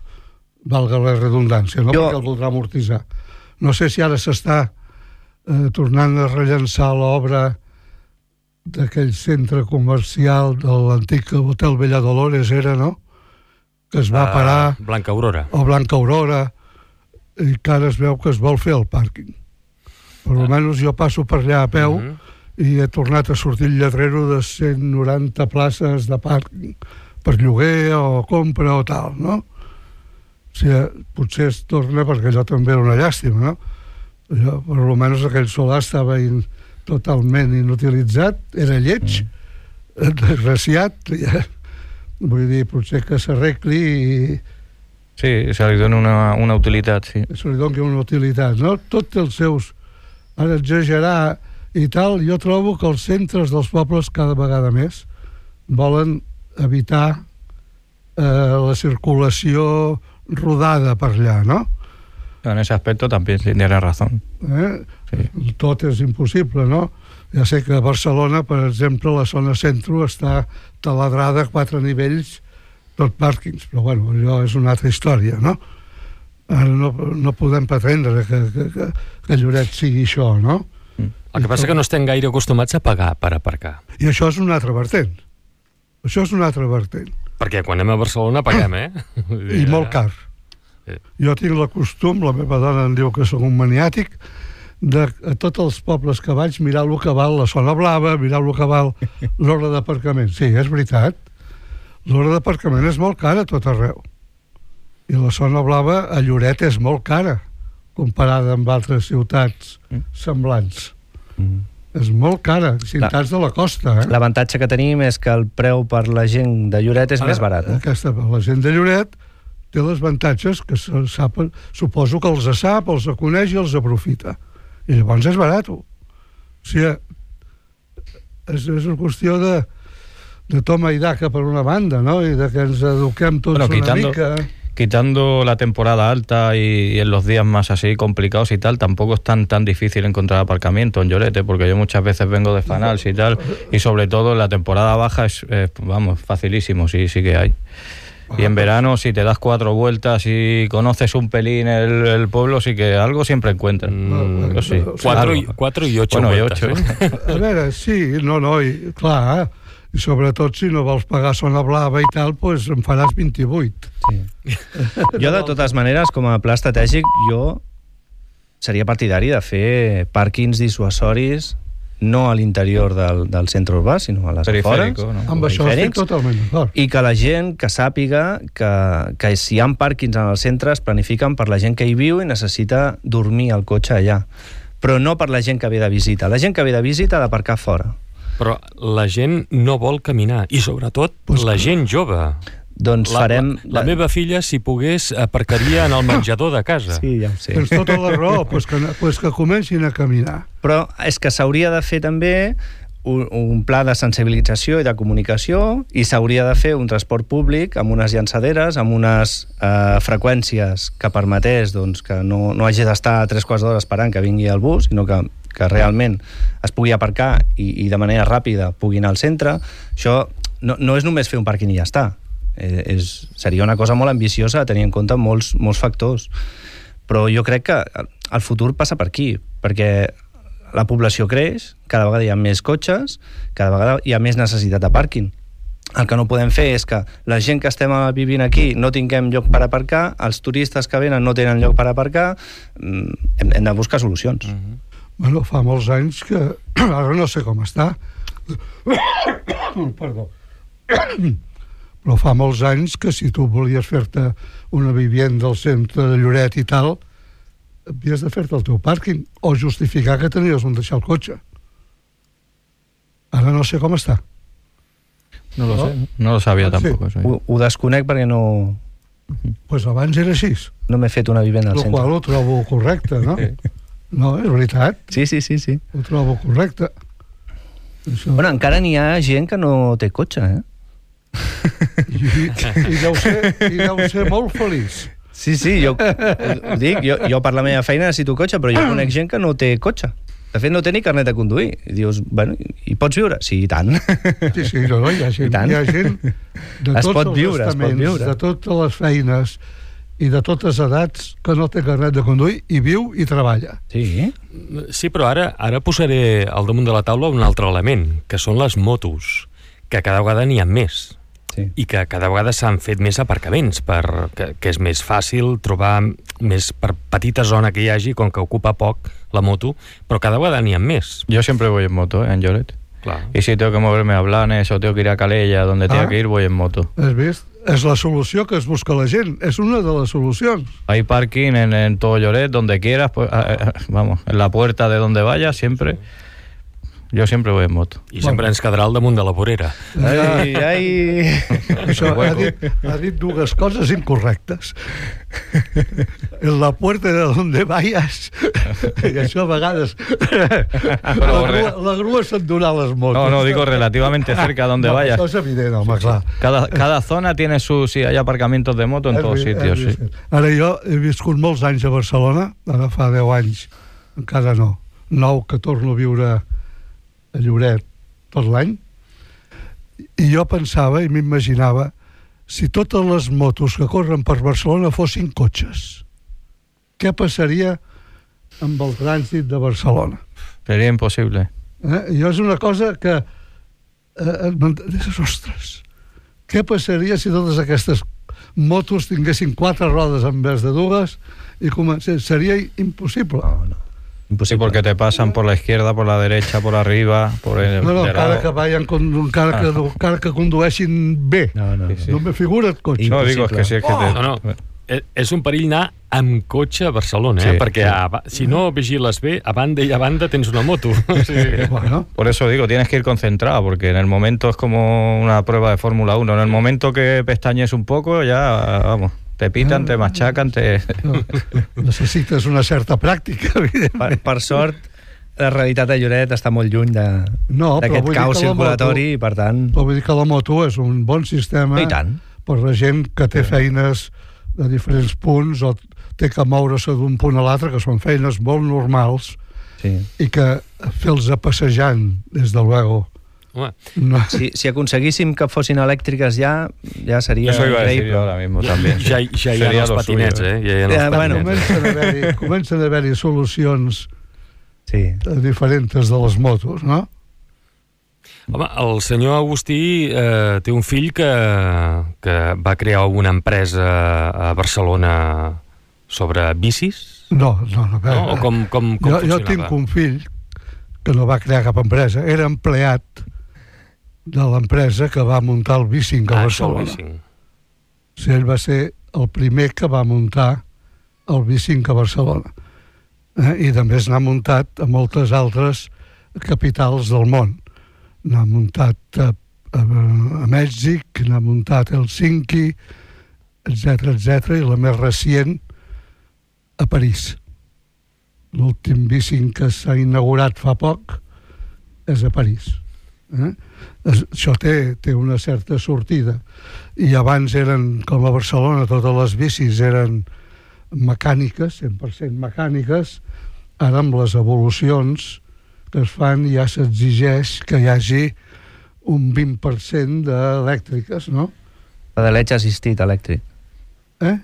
Valga la redundància, no? Jo... Perquè el voldrà amortitzar. No sé si ara s'està eh, tornant a rellençar l'obra d'aquell centre comercial de l'antic Hotel Bella Dolores, era, no? Que es va parar... Uh, Blanca Aurora. O Blanca Aurora, i que ara es veu que es vol fer el pàrquing. Per almenys jo passo per allà a peu uh-huh. i he tornat a sortir el lletrero de cent noranta places de pàrquing per lloguer o compra o tal, no? O sigui, potser es torna perquè allò també era una llàstima, no? Allò, per almenys aquell solar estava in, totalment inutilitzat, era lleig, mm. desgraciat, ja, vull dir, potser que s'arregli i... Sí, se li dona una, una utilitat, sí. Se li dona una utilitat, no? Tots els seus... Ara exagerar i tal, jo trobo que els centres dels pobles cada vegada més volen evitar eh, la circulació rodada per allà, no? En ese aspecto también tiene razón. Eh? Sí. Tot és impossible, no? Ja sé que a Barcelona, per exemple, la zona centro està taladrada a quatre nivells, tot pàrquings, però bueno, allò és una altra història, no? Ara no, no podem pretendre que, que, que, que Lloret sigui això, no? El que passa és que no estem gaire acostumats a pagar per aparcar. I això és un altre vertent. Això és un altre vertent. Perquè quan anem a Barcelona paguem, eh? I molt car. Sí. Jo tinc la costum, la meva dona em diu que sóc un maniàtic, de a tots els pobles que vaig mirar el que val la zona blava, mirar el que val l'hora d'aparcament. Sí, és veritat. L'hora d'aparcament és molt cara a tot arreu. I la zona blava a Lloret és molt cara, comparada amb altres ciutats semblants. Mm. És molt cara, ciutats de la costa. Eh? L'avantatge que tenim és que el preu per la gent de Lloret és Ara, més barat. Eh? Aquesta, la gent de Lloret té els avantatges que se sap, suposo que els sap, els coneix i els aprofita. I llavors és barat. O sigui, és, és una qüestió de, de toma i daca per una banda, no? I de que ens eduquem tots bueno, quitando... una mica... Quitando la temporada alta y, y en los días más así complicados y tal, tampoco es tan tan difícil encontrar aparcamiento en Lloret, porque yo muchas veces vengo de Fanals y tal, y sobre todo en la temporada baja es, eh, vamos, facilísimo, sí, sí que hay. Y en verano, si te das cuatro vueltas y conoces un pelín el, el pueblo, sí que algo siempre encuentras. Mm, no, sí. Cuatro, y, cuatro y ocho bueno, vueltas. I ocho. Eh? A veure, sí, no, no, i, clar, eh? I sobretot si no vols pagar zona blava i tal, doncs en faràs vint-i-vuit. Sí. Jo, de totes maneres, com a pla estratègic, jo seria partidari de fer pàrquings dissuasoris no a l'interior del, del centre urbà, sinó a les afores. No? Amb això estic totalment d'acord. I que la gent que sàpiga que, que si hi ha pàrquings en el centre es planifiquen per la gent que hi viu i necessita dormir al cotxe allà. Però no per la gent que ve de visita. La gent que ve de visita ha d'aparcar fora. Però la gent no vol caminar, i sobretot pues la gent jove. Doncs la, farem... La, la meva filla, si pogués, aparcaria en el menjador de casa. Sí, ja ho sé. Tens tota la raó, pues que, pues que comencin a caminar. Però és que s'hauria de fer també un, un pla de sensibilització i de comunicació, i s'hauria de fer un transport públic amb unes llançaderes, amb unes eh, freqüències que permetés doncs, que no, no hagi d'estar tres quarts d'hora esperant que vingui el bus, sinó que que realment es pugui aparcar i, i de manera ràpida pugui anar al centre. Això no, no és només fer un pàrquing i ja està. Eh, és, seria una cosa molt ambiciosa a tenir en compte molts, molts factors. Però jo crec que el futur passa per aquí, perquè la població creix, cada vegada hi ha més cotxes, cada vegada hi ha més necessitat de pàrquing. El que no podem fer és que la gent que estem vivint aquí no tinguem lloc per aparcar, els turistes que venen no tenen lloc per aparcar, hem, hem de buscar solucions. Mm-hmm. Bueno, fa molts anys que... Ara no sé com està. Perdó. Però fa molts anys que si tu volies fer-te una vivienda al centre de Lloret i tal, havies de fer-te el teu pàrquing o justificar que tenies on deixar el cotxe. Ara no sé com està. No lo sé, no lo sabia ah, tampoc. Sí. Ho, ho desconec perquè no... Pues abans era així. No m'he fet una vivenda al centre. centre. El qual ho trobo correcte, no? No, és veritat. Sí, sí, sí, sí. Ho trobo correcte. Això... Bueno, encara n'hi ha gent que no té cotxe, eh? I, i, deu ser, i deu ser molt feliç. Sí, sí, jo ho, ho dic, jo, jo per la meva feina necessito cotxe, però jo conec gent que no té cotxe. De fet, no té ni carnet de conduir. I dius, bueno, hi pots viure? Sí, i tant. Sí, sí, no, no, hi ha gent, hi ha gent de es tots pot els viure, estaments, es pot viure. de totes les feines i de totes edats que no té carnet de conduir i viu i treballa. Sí? Sí, però ara, ara posaré al damunt de la taula un altre element, que són les motos, que cada vegada n'hi ha més. Sí. I que cada vegada s'han fet més aparcaments, per, que, que és més fàcil trobar més per petita zona que hi hagi, com que ocupa poc la moto, però cada vegada n'hi ha més. Yo siempre voy en moto, ¿eh? En Lloret. Claro. Y si tengo que moverme a Blanes o tengo que ir a Calella, donde tenga ah. que ir, voy en moto. Has vist? És la solució que es busca la gent, és una de les solucions. Hay parking en, en todo Lloret, donde quieras, pues, eh, vamos, en la puerta de donde vayas, siempre. Yo siempre voy en moto. I sempre ens quedarà al damunt de la vorera. Ai, ai... Això ha dit, ha dit dues coses incorrectes. En la puerta de donde vayas, i això a vegades la grua, la grua se'n dona les motos. No, no, digo relativamente cerca a donde no, vayas. Això és evident, home, clar. Cada, cada zona tiene su... Sí, hay aparcamientos de moto en És todos vi- sitios, és sí. vi- Ara jo he viscut molts anys a Barcelona, ara fa deu anys, encara no, nou que torno a viure a Lloret tot l'any, i jo pensava i m'imaginava si totes les motos que corren per Barcelona fossin cotxes, què passaria amb el trànsit de Barcelona? Sería imposible. Eh? I és una cosa que eh, dius, ostres, què passaria si totes aquestes motos tinguessin quatre rodes en vez de dues i comencés? Seria impossible. No, no. Sí, Impossible. porque te pasan por la izquierda, por la derecha, por arriba, por el No, no, de encara lado. que, vayan, con- encara, que, encara que condueixin bé. No, no, no. Sí, sí. No me figura't cotxe. No, digo, es que sí, es que Oh! te... No, no. Eh, És un perill anar amb cotxe a Barcelona, eh? Sí, perquè sí. a, ba- si no vigiles bé, a banda i a banda tens una moto. O sigui, Bueno, Por eso digo, tienes que ir concentrado, porque en el momento es como una prueba de Fórmula uno. En el momento que pestañes un poco, ya, vamos, te pitan, te machacan, te... no, necessites una certa pràctica, evidentment. Per, per sort, la realitat de Lloret està molt lluny de- No, però d'aquest vull dir caos que la circulatori moto- i, per tant... Però vull dir que la moto és un bon sistema I tant. per la gent que té feines de diferents punts o té que moure-se d'un punt a l'altre, que són feines molt normals Sí. i que fer-los passejant, des de luego, home, no. Si, si aconseguíssim que fossin elèctriques ja, ja seria Eso iba a decir increïble. yo ahora mismo también. ja, ja hi ha Sería els lo patinets, suyo, eh? Ja hi ha els Ja, bueno, patinets. Comencen a haver-hi comencen a haver-hi solucions Sí. diferents de les motos, no? Home, el senyor Agustí eh, té un fill que, que va crear una empresa a Barcelona sobre bicis, No, no, no. A veure, no? O com, com, com jo, jo funcionava? tinc un fill que no va crear cap empresa, era empleat de l'empresa que va muntar el Bicing a Ah, això, el Barcelona. bicing. O sigui, ell va ser el primer que va muntar el Bicing a Barcelona. Eh? I també n'ha muntat a moltes altres capitals del món. N'ha muntat a, a, a Mèxic, n'ha muntat a Helsinki, etcètera, etcètera, i la més recient a París. L'últim Bicing que s'ha inaugurat fa poc és a París. Eh? Es- Això té, té una certa sortida. I abans eren, com a Barcelona, totes les bicis eren mecàniques, cent per cent mecàniques. Ara, amb les evolucions que es fan, ja s'exigeix que hi hagi un vint per cent d'elèctriques, no? Pedaleig assistit elèctric. Eh?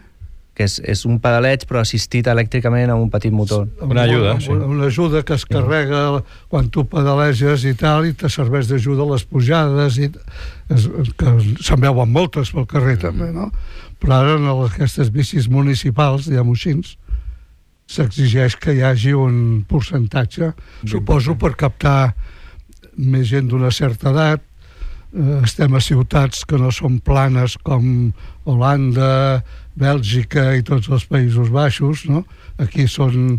Que és, és un pedaleig però assistit elèctricament amb un petit motor. Una ajuda, Amb sí. Una, una ajuda que es carrega quan tu pedaleges i tal, i te serveix d'ajuda a les pujades, i es, que se'n veuen moltes pel carrer també, no? Però ara en aquestes bicis municipals, diguem-ho així, s'exigeix que hi hagi un percentatge, suposo per captar més gent d'una certa edat. Eh, estem a ciutats que no són planes com Holanda, Bèlgica i tots els Països Baixos, no? Aquí són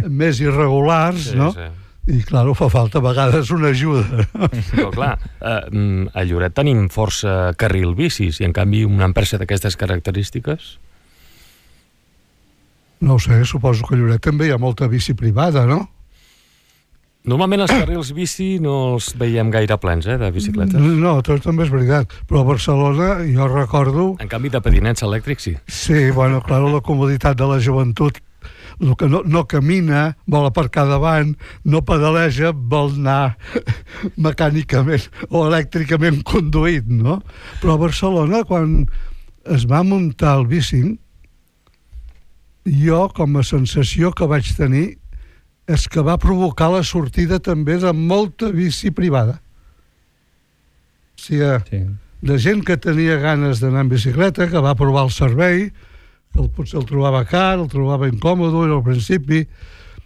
més irregulars, Sí, no? sí. I, clar, fa falta a vegades una ajuda. Però clar, eh, mm, a Lloret tenim força carril bicis i en canvi una empresa d'aquestes característiques... No ho sé, suposo que a Lloret també hi ha molta bici privada, no? Normalment els carrils bici no els veiem gaire plens, eh, de bicicletes. No, tot també és veritat. Però a Barcelona, jo recordo... En canvi de patinets elèctrics, sí. Sí, bueno, clar, la comoditat de la joventut, el que no, no camina, vol aparcar davant, no pedaleja, vol anar mecànicament o elèctricament conduït, no? Però a Barcelona, quan es va muntar el Bicing, jo, com a sensació que vaig tenir, és que va provocar la sortida també de molta bici privada. O sigui, Sí. de gent que tenia ganes d'anar en bicicleta, que va provar el servei, que el, potser el trobava car, el trobava incòmode al principi,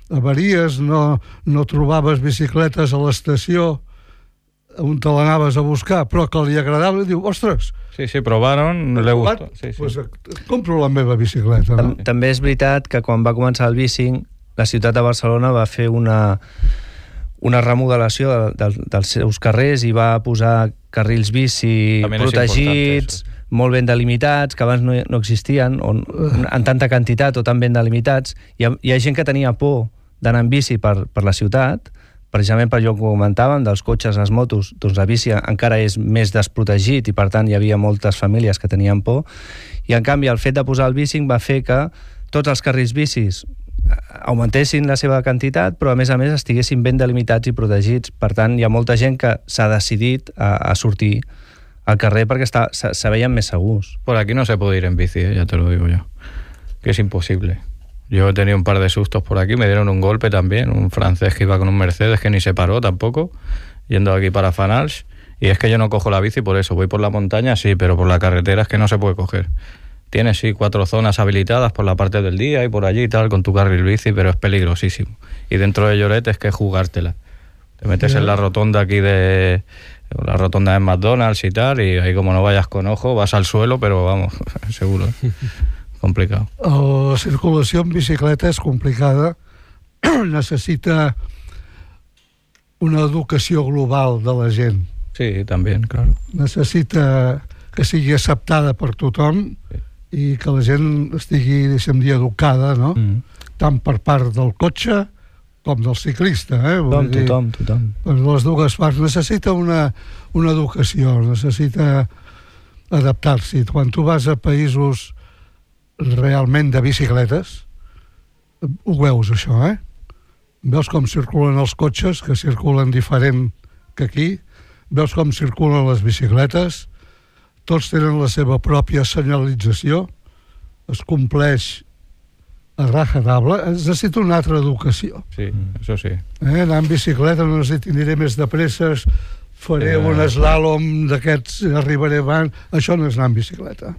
avaries, no, no trobaves bicicletes a l'estació on te l'anaves a buscar, però que li agradava, i diu, ostres, Sí, sí, probaron, le gustó. Sí, sí. pues, compro la meva bicicleta. No? Tam- També és veritat que quan va començar el Bicing, la ciutat de Barcelona va fer una, una remodelació de, de, dels seus carrers i va posar carrils bici També protegits, molt ben delimitats, que abans no, no existien, on, en tanta quantitat o tan ben delimitats. Hi ha, hi ha gent que tenia por d'anar en bici per, per la ciutat, precisament per allò que comentàvem, dels cotxes, les motos, doncs la bici encara és més desprotegit i per tant hi havia moltes famílies que tenien por, i en canvi el fet de posar el bicing va fer que tots els carrils bicis augmentessin la seva quantitat, però a més a més estiguessin ben delimitats i protegits. Per tant, hi ha molta gent que s'ha decidit a, a sortir al carrer perquè està, se, se veien més segurs. Por aquí no se puede ir en bici, ¿eh? Ya te lo digo yo, que es imposible. Yo he tenido un par de sustos por aquí, me dieron un golpe también, un francés que iba con un Mercedes que ni se paró tampoco, yendo aquí para Fanals, y es que yo no cojo la bici por eso, voy por la montaña sí, pero por la carretera es que no se puede coger. Tienes sí cuatro zonas habilitadas por la parte del día y por allí y tal con tu carril bici, pero es peligrosísimo. Y dentro de Lloret es que es jugártela. Te metes en la rotonda aquí de... la rotonda de McDonald's y tal, y ahí como no vayas con ojo, vas al suelo, pero vamos, seguro, ¿eh? Complicado. La circulació en bicicleta és complicada, necessita una educació global de la gent. Sí, también, claro. Necessita que sigui acceptada per tothom sí. I que la gent estigui, deixem dir, educada, no? Mm. Tant per part del cotxe com del ciclista, eh? Tothom, dir, tothom, tothom. Per les dues parts. Necessita una, una educació, necessita adaptar-s'hi. Quan tu vas a països realment de bicicletes, ho veus això, eh? Veus com circulen els cotxes, que circulen diferent que aquí, veus com circulen les bicicletes, tots tenen la seva pròpia senyalització, es compleix a rajatabla, es necessita una altra educació. Sí, això sí. Eh? Anar en bicicleta no necessito, aniré més de presses, faré eh, un slalom d'aquests, arribaré abans, això no és anar en bicicleta.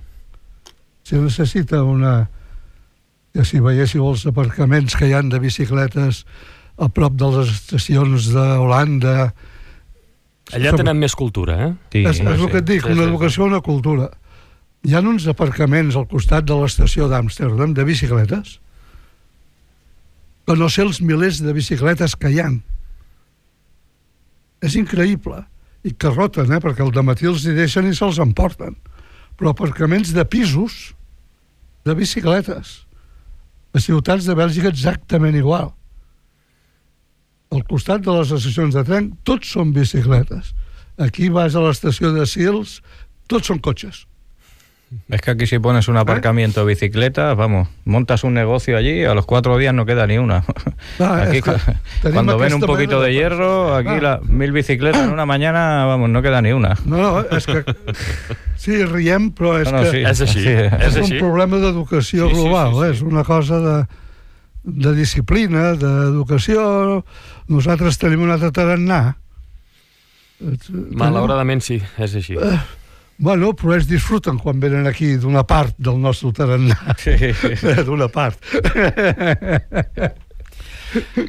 Si necessita una... que si veiéssiu els aparcaments que hi han de bicicletes a prop de les estacions d'Holanda... Allà tenen més cultura, eh? Sí, és, és el que et dic, una educació, una cultura. Hi ha uns aparcaments al costat de l'estació d'Amsterdam de bicicletes que no sé els milers de bicicletes que hi ha. És increïble. I que roten, eh? Perquè al dematí els hi deixen i se'ls emporten. Però aparcaments de pisos de bicicletes a ciutats de Bèlgica exactament igual. Al costat de les estacions de tren tots són bicicletes. Aquí vas a l'estació de Sils, tots són cotxes. Es que aquí si pones un aparcamiento de bicicletas, vamos, montas un negocio allí y a los cuatro días no queda ni una. Ah, aquí, cuando ven un poquito de hierro, aquí ah. la, mil bicicletas en una mañana, vamos, no queda ni una. No, no, és que... Sí, riem, però és no, no, que... Sí, és així. Sí, és, és un així. problema d'educació sí, global, sí, sí, sí. És una cosa de, de disciplina, d'educació. Nosaltres tenim un altre tarannà. Malauradament sí, és així. Uh, Bueno, però ells disfruten quan venen aquí d'una part del nostre tarannà. Sí. D'una part.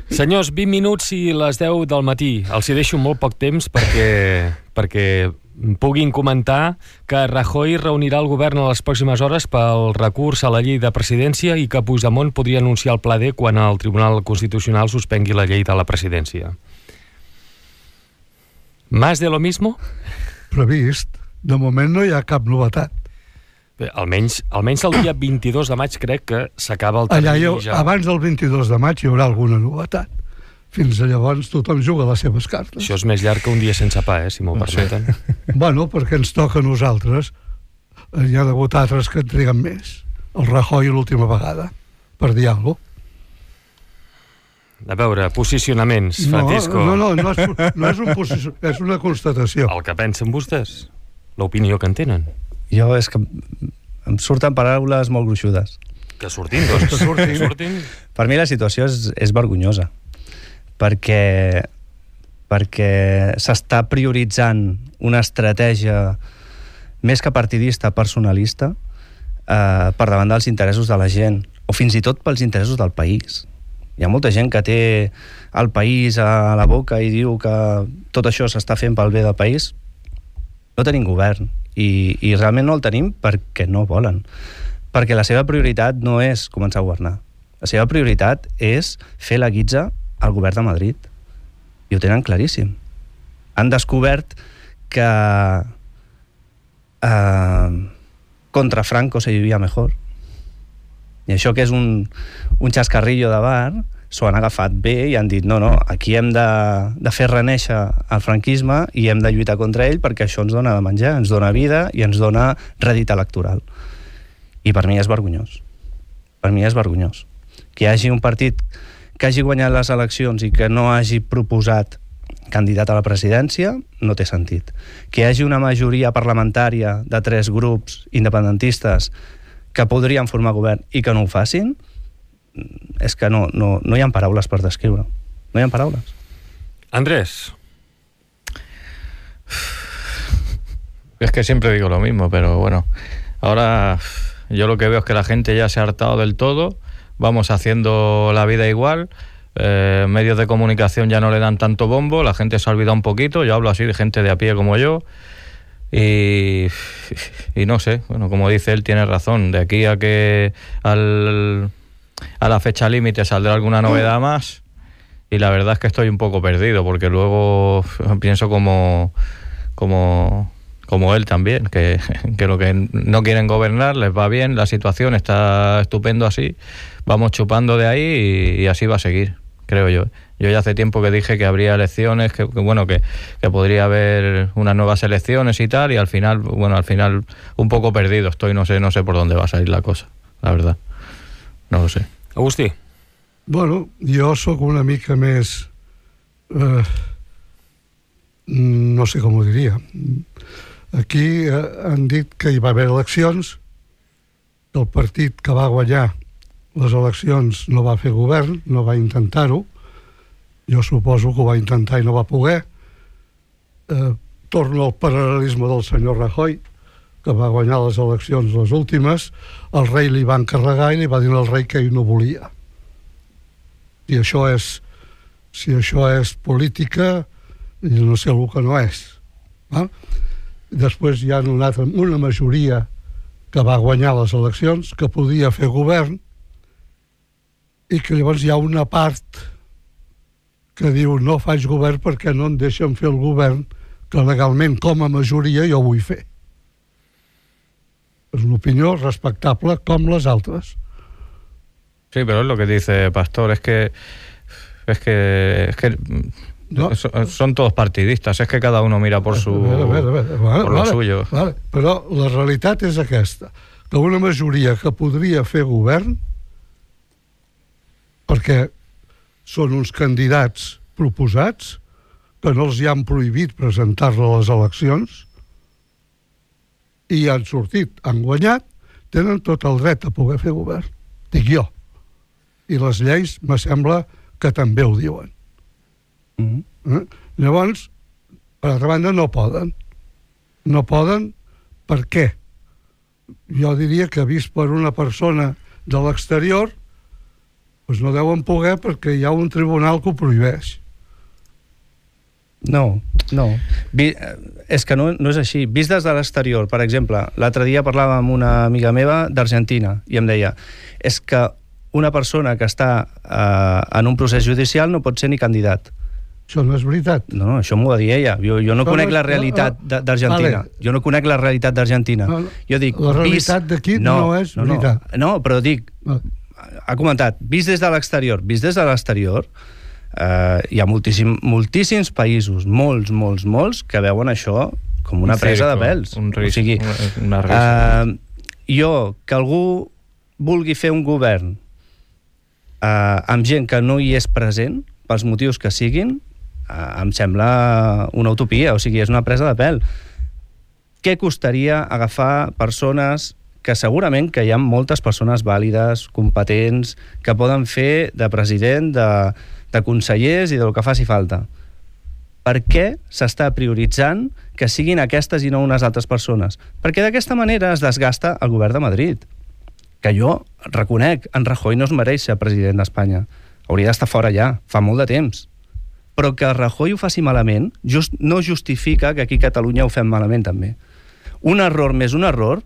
Senyors, vint minuts i les deu del matí. Els hi deixo molt poc temps perquè, perquè puguin comentar que Rajoy reunirà el govern a les pròximes hores pel recurs a la llei de presidència i que Puigdemont podria anunciar el pla D quan el Tribunal Constitucional suspengui la llei de la presidència. ¿Más de lo mismo? Previst. De moment no hi ha cap novetat. Bé, almenys, almenys el dia vint-i-dos de maig crec que s'acaba el termini. Allà, ja. Abans del vint-i-dos de maig hi haurà alguna novetat. Fins a llavors tothom juga les seves cartes. Això és més llarg que un dia sense pa, eh, si m'ho permeten. Bueno, perquè ens toca a nosaltres. Hi ha hagut altres que en triguen més. El Rajoy l'última vegada, per dir alguna cosa. A veure, posicionaments, Francisco. No, no, no, no, és, no és un posició, és una constatació. El que pensen vostès, l'opinió que en tenen. Jo és que em surten paraules molt gruixudes. Que surtin, doncs. Que surtin. surtin. Per mi la situació és, és vergonyosa, perquè, perquè s'està prioritzant una estratègia més que partidista, personalista, eh, per davant dels interessos de la gent, o fins i tot pels interessos del país. Hi ha molta gent que té el país a la boca i diu que tot això s'està fent pel bé del país. No tenim govern i, i realment no el tenim perquè no volen. Perquè la seva prioritat no és començar a governar. La seva prioritat és fer la guitza al govern de Madrid. I ho tenen claríssim. Han descobert que eh, contra Franco se vivia mejor. I això que és un, un xascarrillo de bar, s'ho han agafat bé i han dit no, no, aquí hem de, de fer reneixer el franquisme i hem de lluitar contra ell perquè això ens dona de menjar, ens dona vida i ens dona rèdit electoral. I per mi és vergonyós. Per mi és vergonyós. Que hi hagi un partit que hagi guanyat les eleccions i que no hagi proposat candidat a la presidència, no té sentit. Que hi hagi una majoria parlamentària de tres grups independentistes que podrien formar govern i que no ho facin, és que no, no, no hi ha paraules per descriure. No hi ha paraules. Andrés. Es que siempre digo lo mismo, pero bueno, ahora yo lo que veo es que la gente ya se ha hartado del todo, vamos haciendo la vida igual, eh, medios de comunicación ya no le dan tanto bombo, la gente se ha olvidado un poquito, yo hablo así de gente de a pie como yo, y, y no sé, bueno, como dice él, tiene razón, de aquí a que al, a la fecha límite saldrá alguna novedad más, y la verdad es que estoy un poco perdido, porque luego pienso como... como como él también, que, que lo que no quieren gobernar, les va bien, la situación está estupendo así, vamos chupando de ahí y, y así va a seguir, creo yo. Yo ya hace tiempo que dije que habría elecciones, que, que bueno, que, que podría haber unas nuevas elecciones y tal, y al final, bueno, al final un poco perdido estoy, no sé, no sé por dónde va a salir la cosa, la verdad, no lo sé. Agustí. Bueno, jo sóc una mica més... Eh, no sé com ho diria... Aquí eh, han dit que hi va haver eleccions, el partit que va guanyar les eleccions no va fer govern, no va intentar-ho, jo suposo que ho va intentar i no va poder. Eh, torno al paral·lelisme del senyor Rajoy, que va guanyar les eleccions les últimes, el rei li va encarregar i li va dir al rei que ell no volia. I això és, si això és política, jo no sé el que no és. Eh? Després hi ha una, altra, una majoria que va guanyar les eleccions, que podia fer govern, i que llavors hi ha una part que diu no faig govern perquè no em deixen fer el govern que legalment com a majoria jo vull fer. És una opinió respectable com les altres. Sí, pero es lo que dice Pastor, es que es que, es que no. Son todos partidistas, es que cada uno mira por su a ver, a ver, a ver. Vale, por lo vale, suyo. Vale. Però la realitat és aquesta, que una majoria que podria fer govern, perquè són uns candidats proposats, que no els hi han prohibit presentar-se a les eleccions, i han sortit, han guanyat, tenen tot el dret a poder fer govern, dic jo. I les lleis, me sembla que també ho diuen. Mm-hmm. Eh? Llavors, per altra banda, no poden. No poden per què? Jo diria que vist per una persona de l'exterior, doncs no deuen poder perquè hi ha un tribunal que ho prohibeix. No, no. Vi, és que no, no és així. Vist des de l'exterior, per exemple, l'altre dia parlava amb una amiga meva d'Argentina i em deia, és que una persona que està eh, en un procés judicial no pot ser ni candidat. Això no és veritat. No, no, això m'ho va dir ella. Jo, jo no conec la realitat d'Argentina. Jo no conec la realitat d'Argentina. No, no. Jo dic, la realitat d'aquí no, no és no, veritat. No, no, però dic, no. Ha comentat, vist des de l'exterior, vist des de l'exterior, eh, hi ha moltíssim, moltíssims països, molts, molts, molts, que veuen això com una un presa circo, de pèls. Un risc, o sigui, una, una eh, jo, que algú vulgui fer un govern eh, amb gent que no hi és present, pels motius que siguin, em sembla una utopia, o sigui, és una presa de pèl. Què costaria agafar persones que segurament que hi ha moltes persones vàlides, competents, que poden fer de president, de, de consellers i del que faci falta? Per què s'està prioritzant que siguin aquestes i no unes altres persones? Perquè d'aquesta manera es desgasta el govern de Madrid. Que jo reconec, en Rajoy no es mereix ser president d'Espanya. Hauria d'estar fora ja, fa molt de temps. Però que Rajoy ho faci malament just, no justifica que aquí a Catalunya ho fem malament també. Un error més un error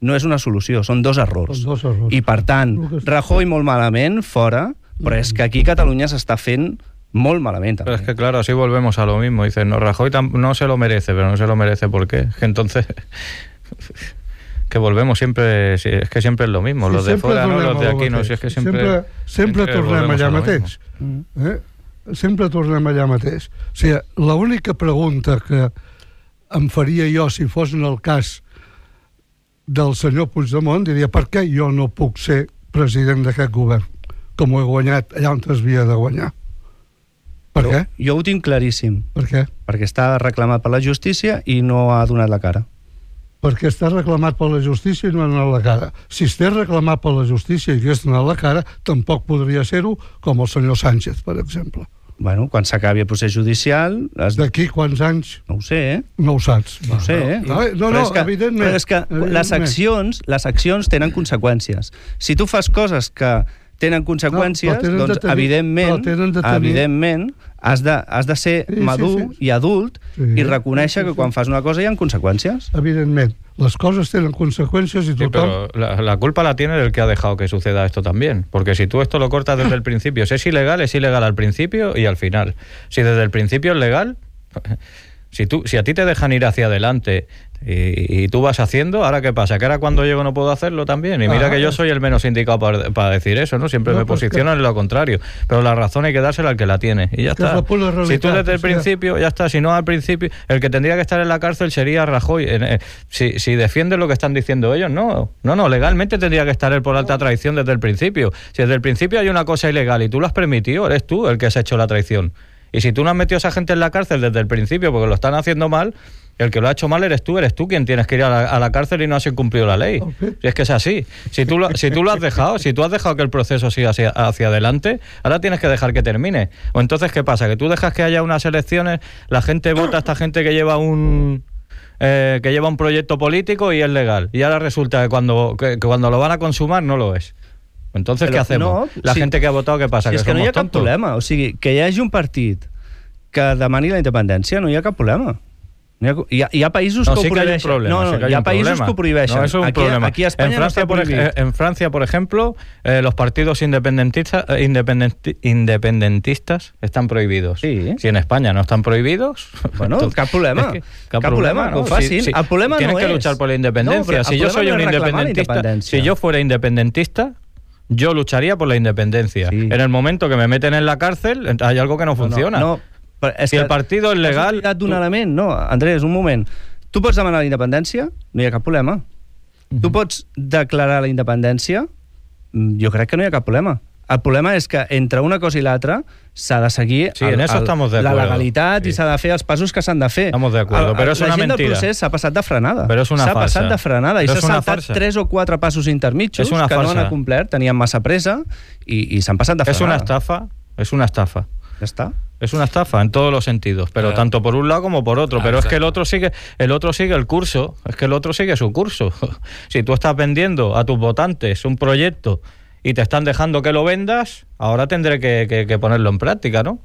no és una solució, són dos errors. Són dos errors. I per tant, Rajoy molt malament, fora, però és que aquí a Catalunya s'està fent Molt malament, també. Pero es que, claro, así volvemos a lo mismo. Dicen, no, Rajoy no se lo merece, pero no se lo merece, ¿por qué? Que entonces... que volvemos siempre, es que siempre es lo mismo, sí, los de fuera no, los de aquí no, si és que sempre... Sempre, sempre, sempre tornem allà mateix. Eh? Sempre tornem allà mateix. O sigui, l'única pregunta que em faria jo si fos en el cas del senyor Puigdemont, diria, per què jo no puc ser president d'aquest govern, com ho he guanyat allà on es havia de guanyar? Per jo, què? Jo ho tinc claríssim. Per què? Perquè està reclamat per la justícia i no ha donat la cara. Perquè està reclamat per la justícia i no ha donat la cara. Si estigués reclamat per la justícia i hagués donat la cara, tampoc podria ser-ho com el senyor Sánchez, per exemple. Bueno, quan s'acabi el procés judicial... Has... D'aquí quants anys? No ho sé, eh? No ho saps. No ho sé, eh? No, no, no, no evidentment. Però és que les accions, les accions tenen conseqüències. Si tu fas coses que tenen conseqüències, no, tenen doncs, tenir, evidentment, tenir... evidentment has, de, has de ser sí, madur sí, sí. i adult sí, i reconèixer sí, sí, que quan fas una cosa hi ha conseqüències. Evidentment. Las cosas tienen consecuencias y total... Sí, pero la, la culpa la tiene el que ha dejado que suceda esto también. Porque si tú esto lo cortas desde el principio, si es ilegal, es ilegal al principio y al final. Si desde el principio es legal... Si, tú, si a ti te dejan ir hacia adelante y, y tú vas haciendo, ¿ahora qué pasa? ¿Que ahora cuando llego no puedo hacerlo también? Y mira ah, que yo soy el menos indicado para, para decir eso, ¿no? Siempre no, me pues posicionan que... en lo contrario. Pero la razón hay que dársela al que la tiene. Y ya está. Si tú desde el principio, ya está. Si no al principio, el que tendría que estar en la cárcel sería Rajoy. Eh, si, si defiende lo que están diciendo ellos, no. No, no, legalmente tendría que estar él por alta traición desde el principio. Si desde el principio hay una cosa ilegal y tú lo has permitido, eres tú el que has hecho la traición. Y si tú no has metido a esa gente en la cárcel desde el principio porque lo están haciendo mal, el que lo ha hecho mal eres tú, eres tú quien tienes que ir a la, a la cárcel y no has incumplido la ley. Okay. Si es que es así. Si tú, lo, si tú lo has dejado, si tú has dejado que el proceso siga hacia, hacia adelante, ahora tienes que dejar que termine. O entonces, ¿qué pasa? Que tú dejas que haya unas elecciones, la gente vota a esta gente que lleva un... Eh, que lleva un proyecto político y es legal. Y ahora resulta que cuando, que, que cuando lo van a consumar no lo es. Entonces, però ¿qué hacemos? No, la si, gente que ha votado, ¿qué pasa? Si que és que no hi ha cap tontos? problema. O sigui, que hi hagi un partit que demani la independència, no hi ha cap problema. No hi, ha, hi, ha, hi ha països no, que sí ho prohibeixen. Que no, no, sí que hi ha països problema. que ho prohibeixen. No, eso es un aquí, problema. Aquí a Espanya en Francia, no por, por, en Francia, por ejemplo, eh, los partidos independentistas, eh, independenti, independentistas están prohibidos. Sí. Si en España no están prohibidos... Bueno, entonces, cap problema. Es que, cap, cap problema, ¿no? Ho facin. Si, si, el problema tienes no que és... luchar por la independencia. No, si yo soy no un independentista, si yo fuera independentista, yo lucharía por la independencia. Sí. En el momento que me meten en la cárcel, hay algo que no funciona. No, no, és si que el partido es legal... Has d'un tu... element, no, Andrés, un moment. Tu pots demanar la independència, no hi ha cap problema. Uh-huh. Tu pots declarar la independència, jo crec que no hi ha cap problema. El problema és que entre una cosa i l'altra s'ha de seguir sí, el, el, la legalitat sí. I s'ha de fer els passos que s'han de fer. Estamos de acuerdo, el, pero es una mentira. La gent del procés s'ha passat de frenada. Però és una s'ha farsa. S'ha passat de frenada i s'ha saltat farsa. tres o quatre passos intermitjos que farsa. No han acomplert, tenien massa pressa i, i s'han passat de frenada. És una estafa, és una estafa. Ya está. Es una estafa en todos los sentidos, pero ah. tanto por un lado como por otro. Ah, pero exacto. Es que el otro sigue, el otro sigue el curso, es que el otro sigue su curso. Si tú estás vendiendo a tus votantes un proyecto y te están dejando que lo vendas, ahora tendré que, que, que ponerlo en práctica, ¿no?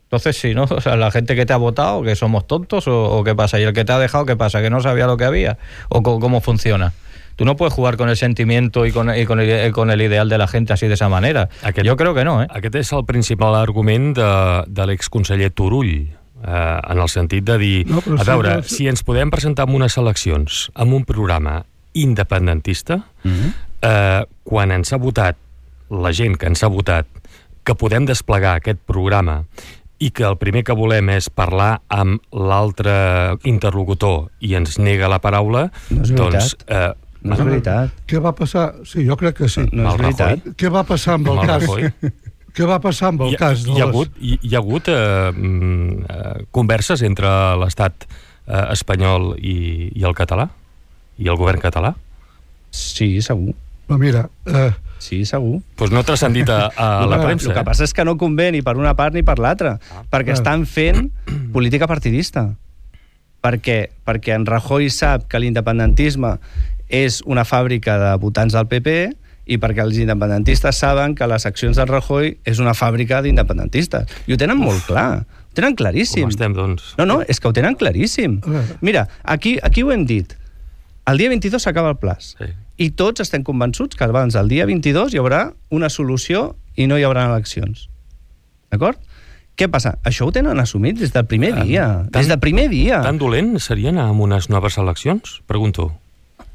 Entonces, si no, o sea, la gente que te ha votado, que somos tontos o, o qué pasa, y el que te ha dejado, ¿qué pasa? Que no sabía lo que había o co- cómo funciona. Tú no puedes jugar con el sentimiento y con, y con, el, con el ideal de la gente así de esa manera. Aquest, jo crec que no, eh? Aquest és el principal argument de, de l'exconseller Turull, eh, en el sentit de dir, no, a veure, sí, no... si ens podem presentar en unes eleccions amb un programa independentista, mm-hmm. eh, quan ens ha votat la gent que ens ha votat que podem desplegar aquest programa i que el primer que volem és parlar amb l'altre interlocutor i ens nega la paraula, no és doncs... Eh, no és veritat. Què va passar? Sí, jo crec que sí. No, no és veritat. Què va passar amb el, el cas? Què va passar amb el hi, cas? Hi ha hagut, hi, hi ha hagut eh, eh, converses entre l'estat eh, espanyol i, i el català? I el govern català? Sí, segur. Però mira... Eh, Sí, segur. Doncs pues no transcendit a, a la premsa. El que passa és que no convé ni per una part ni per l'altra, ah, perquè estan fent política partidista. Perquè, perquè en Rajoy sap que l'independentisme és una fàbrica de votants del P P i perquè els independentistes saben que les accions del Rajoy és una fàbrica d'independentistes. I ho tenen molt clar. Ho tenen claríssim. Com estem, doncs? No, no, és que ho tenen claríssim. Mira, aquí, aquí ho hem dit. El dia vint-i-dos s'acaba el plaç. Sí. I tots estem convençuts que abans del dia vint-i-dos hi haurà una solució i no hi haurà eleccions. D'acord? Què passa? Això ho tenen assumit des del primer Tan- dia. tan- Des del primer dia. Tan dolent seria anar amb unes noves eleccions? Pregunto.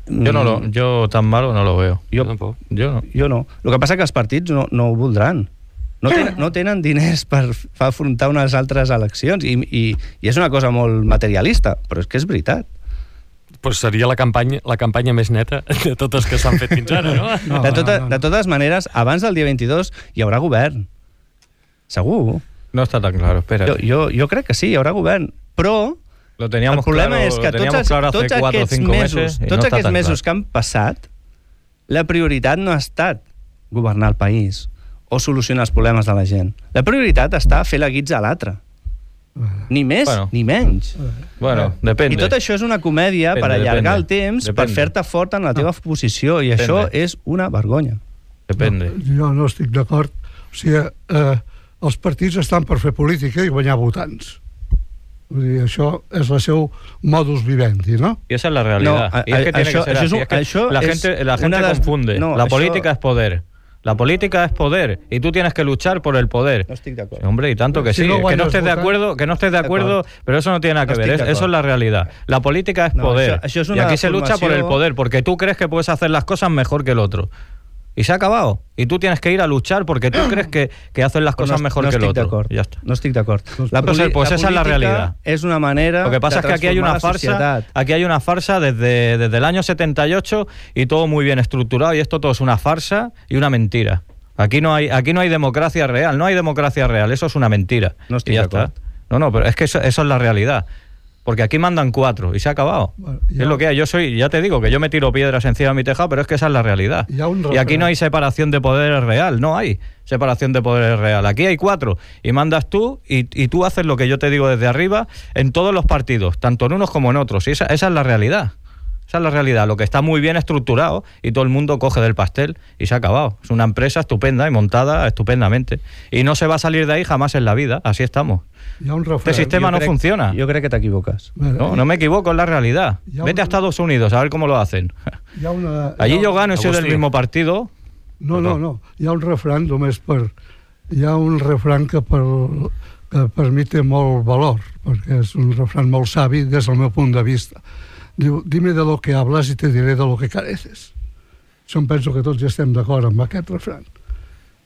Yo no lo, yo tan malo no lo veo. Jo, Tampoc. Yo no. jo no. El que passa que els partits no, no ho voldran. No tenen, no tenen diners per, per afrontar unes altres eleccions i, i, i és una cosa molt materialista, però és que és veritat. Pues seria la campanya, la campanya més neta de totes que s'han fet fins ara, no? No, de, tota, no, no. de totes maneres, abans del dia vint-i-dos hi haurà govern. Segur. No está tan claro, espera. Jo, jo, jo crec que sí, hi haurà govern. Però Lo teníamos el problema claro, és que lo tots, teníamos els, claro hace tots cuatro o aquests cinco mesos, meses y tots no está aquests tan mesos claro. que han passat, la prioritat no ha estat governar el país o solucionar els problemes de la gent. La prioritat està fer la guitza a l'altre. Ni més, Bueno. ni menys. Bueno, I depende. tot això és una comèdia Depende, per allargar depende. el temps, Depende. per fer-te fort en la teva posició, i Depende. això és una vergonya. Depende. Jo no estic d'acord. O sigui, eh, els partits estan per fer política i guanyar votants. Vull dir, això és el seu modus vivendi, no? Y esa es la realidad. No, a- y es que a- tiene això- que ser això és así. un- Es que això la és gente, la gente una de las- confunde. no, la això- política es poder. La política es poder y tú tienes que luchar por el poder. No estic d'acord. Hombre, y tanto que Si sí. no Es que guanyes no estés de votant- acuerdo, que no estés de acuerdo, D'acord. pero eso no tiene nada que No ver. estic Es- d'acord. eso es la realidad. La política es No, poder. això- això és y una aquí se lucha por el formació- poder, porque tú crees que puedes hacer las cosas mejor que el otro. Y se ha acabado. Y tú tienes que ir a luchar porque tú crees que, que haces las cosas no, mejor no que el estic otro. d'acord. Ya está. No estic d'acord. La, Pues, poli- pues esa es la política realidad. És una manera Lo que pasa de es que aquí hay transformar una la farsa, societat. aquí hay una farsa desde, desde el año setenta y ocho y todo muy bien estructurado y esto todo es una farsa y una mentira. Aquí no hay, aquí no hay democracia real, no hay democracia real, eso es una mentira. No estoy y ya de está. acuerdo. No, no, pero es que eso, eso es la realidad. Porque aquí mandan cuatro y se ha acabado. Bueno, Es ya- lo que hay. Yo soy, ya te digo que yo me tiro piedras encima de mi tejado, pero es que esa es la realidad. Ya un Y aquí refrán. no hay separación de poderes real, no hay separación de poderes real. Aquí hay cuatro y mandas tú y, y tú haces lo que yo te digo desde arriba en todos los partidos, tanto en unos como en otros. Y esa, esa es la realidad. Esa es la realidad, lo que está muy bien estructurado y todo el mundo coge del pastel y se ha acabado. Es una empresa estupenda y montada estupendamente. Y no se va a salir de ahí jamás en la vida, así estamos. Hi ha un Este refrán. sistema Jo no crec- funciona. Jo crec que t'equivoques. No, no me equivoco, es la realidad. Ya Vete un- a Estados Unidos a ver cómo lo hacen. Hi ha una, Allí hi ha yo un- gano y soy del Agustí. mismo partido. No, no, no. Hi ha un refrán només per... Hi ha un refrán que per, que per mi té molt valor, perquè és un refrán molt savi des del meu punt de vista. Diu, dime de lo que hablas y te diré de lo que careces. Això em penso que tots ja estem d'acord amb aquest refrán.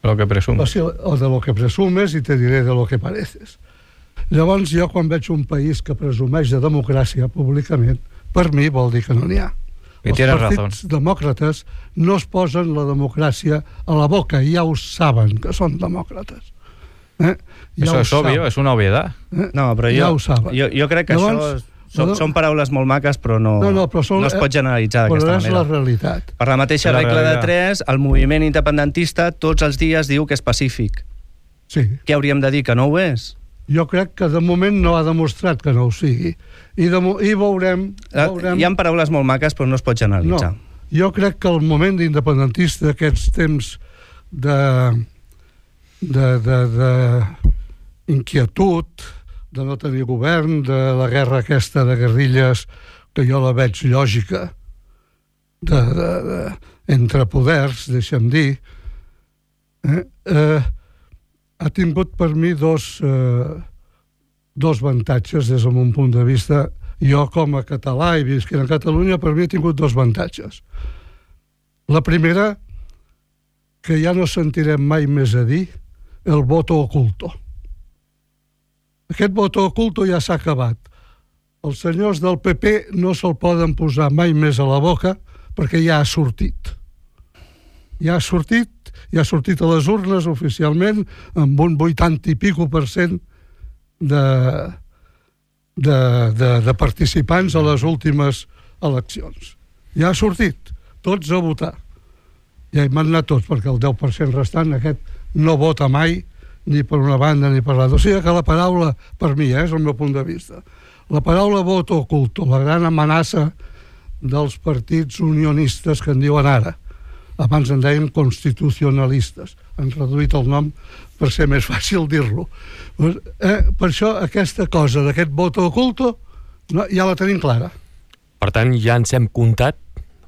Lo que O, presumo. sigui, o de lo que presumes i te diré de lo que pareces. Llavors, jo quan veig un país que presumeix de democràcia públicament, per mi vol dir que no n'hi ha. I Els tienes partits demòcrates no es posen la democràcia a la boca, i ja ho saben que són demòcrates. Eh? Ja Eso ho es obvio, saben, es una obviedad. eh? No, però Ja jo, ho saben. jo, jo crec que Llavors, això són, no- són paraules molt maques, però no, No, no, però són- no es pot generalitzar Però d'aquesta és manera. la realitat. Per la mateixa És la regla de realitat. tres, el moviment independentista tots els dies diu que és pacífic. Sí. Què hauríem de dir, que no ho és? Jo crec que de moment no ha demostrat que no ho sigui. I, de, mo- i veurem... veurem... Hi ha paraules molt maques, però no es pot generalitzar. No, jo crec que el moment independentista, aquests temps de, de, de, de inquietud, de no tenir govern, de la guerra aquesta de guerrilles, que jo la veig lògica, de, de, de, entre poders, deixa'm dir, eh, eh, ha tingut per mi dos, eh, dos avantatges des del meu punt de vista. Jo, com a català i visquent a Catalunya, per mi ha tingut dos avantatges. La primera, que ja no sentirem mai més a dir el voto oculto. Aquest voto oculto ja s'ha acabat. Els senyors del P P no se'l poden posar mai més a la boca perquè ja ha sortit. Ja ha sortit, ja ha sortit a les urnes oficialment amb un vuitanta i pico per cent de, de, de, de participants a les últimes eleccions. Ja ha sortit, tots a votar. Ja hi van anar tots, perquè el deu per cent restant, aquest no vota mai, ni per una banda ni per l'altra. O sigui que la paraula, per mi, eh, és el meu punt de vista, la paraula voto oculto, la gran amenaça dels partits unionistes que en diuen ara. Abans en deien constitucionalistes. Han reduït el nom per ser més fàcil dir-lo. Eh, per això aquesta cosa d'aquest voto oculto no, ja la tenim clara. Per tant, ja ens hem comptat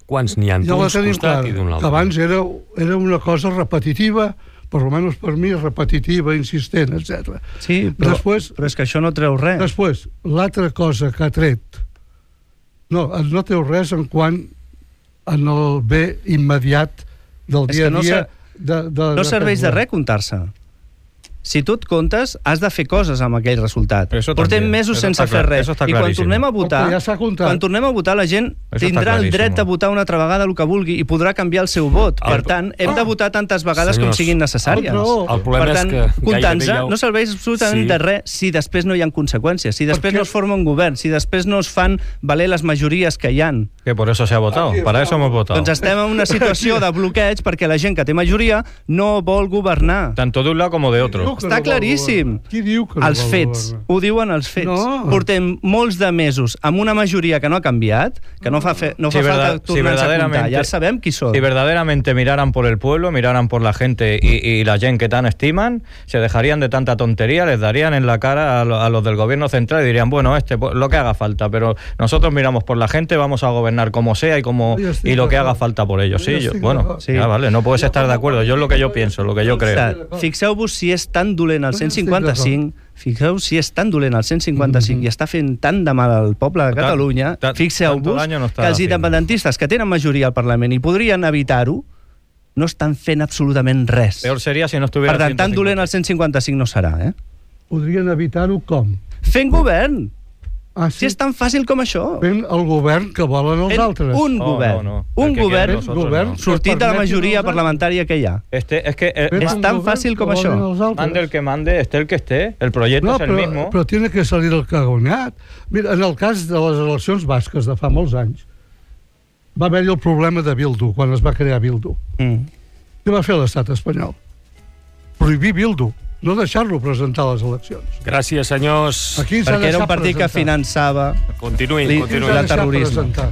quants n'hi ha Ja la d'uns tenim costat clara. i d'un Que altre. abans era, era una cosa repetitiva per almenys per mi, repetitiva, insistent, etcètera. Sí, però, després, però és que això no treu res. Després, l'altra cosa que ha tret, no, no treu res en quant en el bé immediat del És dia que no a dia. ser- De, de, No serveix de res comptar-se. Si tu et comptes, has de fer coses amb aquell resultat. Eso Portem también, mesos eso sense está fer clar- res. eso está I quan clarísimo. tornem a votar, Perquè ja s'ha comptat. quan tornem a votar, la gent Eso está tindrà el clarísimo. dret a votar una altra vegada el que vulgui i podrà canviar el seu vot. El- Per tant, hem de votar tantes vegades com Senyors, siguin necessàries. el- el problema per tant, és que comptant-se gairebé ja ho- no serveix absolutament Sí. de res si després no hi ha conseqüències, si després Perquè- no es forma un govern, si després no es fan valer les majories que hi han. Que por eso se ha votado. Para eso hemos votado. Doncs estem en una situació de bloqueig perquè la gent que té majoria no vol governar. Tanto de un lado como de otro. que Està no vol claríssim. governar? Qui diu que no Els vol fets, governar? ho diuen els fets. No. Portem molts de mesos amb una majoria que no ha canviat, que no fa, fe, no fa Si falta verdad- si tornar-se a comptar, verdaderamente- ja sabem qui són. Si verdaderamente miraran por el pueblo, miraran por la gente y, y la gente que tan estiman, se dejarían de tanta tontería, les darían en la cara a, lo- a los del gobierno central y dirían, bueno, este pues, lo que haga falta, pero nosotros miramos por la gente, vamos a gobernar como sea y como Yo estoy y lo de que acuerdo. haga falta por ellos. Yo Sí, yo, estoy de bueno, acuerdo. Sí. ya vale, no puedes estar de acuerdo. Yo es lo que yo pienso, lo que yo creo. Està, Fixeu-vos si és tan dolent el Jo cent estic cinquanta-cinc, fixeu si és tan dolent el cent cinquanta-cinc Mm-hmm. i està fent tant de mal al poble de Tant- Catalunya, tant- fixeu-vos tanto daño no que està els fent. independentistes que tenen majoria al Parlament i podrien evitar-ho, no estan fent absolutament res. Peor sería si no estuviera Per tant, tan dolent el cent cinquanta-cinc no serà, eh? Podrien evitar-ho com? Fent govern! Ah, Si és tan fàcil com això. Fent el govern que volen els Fent altres. un No, govern. no, no. Un El que govern quieren nosotros, govern no. sortit de la permetin majoria els parlamentària que hi ha. Este, es que eh, Fent és un tan govern fàcil com que això. volen els altres. mande el que mande, esté el que esté, el proyecto No, es el però, mismo. però tiene que salir el que ha guanyat. Mira, en el cas de les eleccions basques de fa molts anys, va haver-hi el problema de Bildu, quan es va crear Bildu. Mm. Què va fer l'estat espanyol? Prohibir Bildu, no deixar-lo presentar a les eleccions. Gràcies, senyors. Aquí s'ha Perquè era un deixat partit que presentar. finançava Continuïn, Li- Aquí continuïn. s'ha la deixat terrorisme. presentar.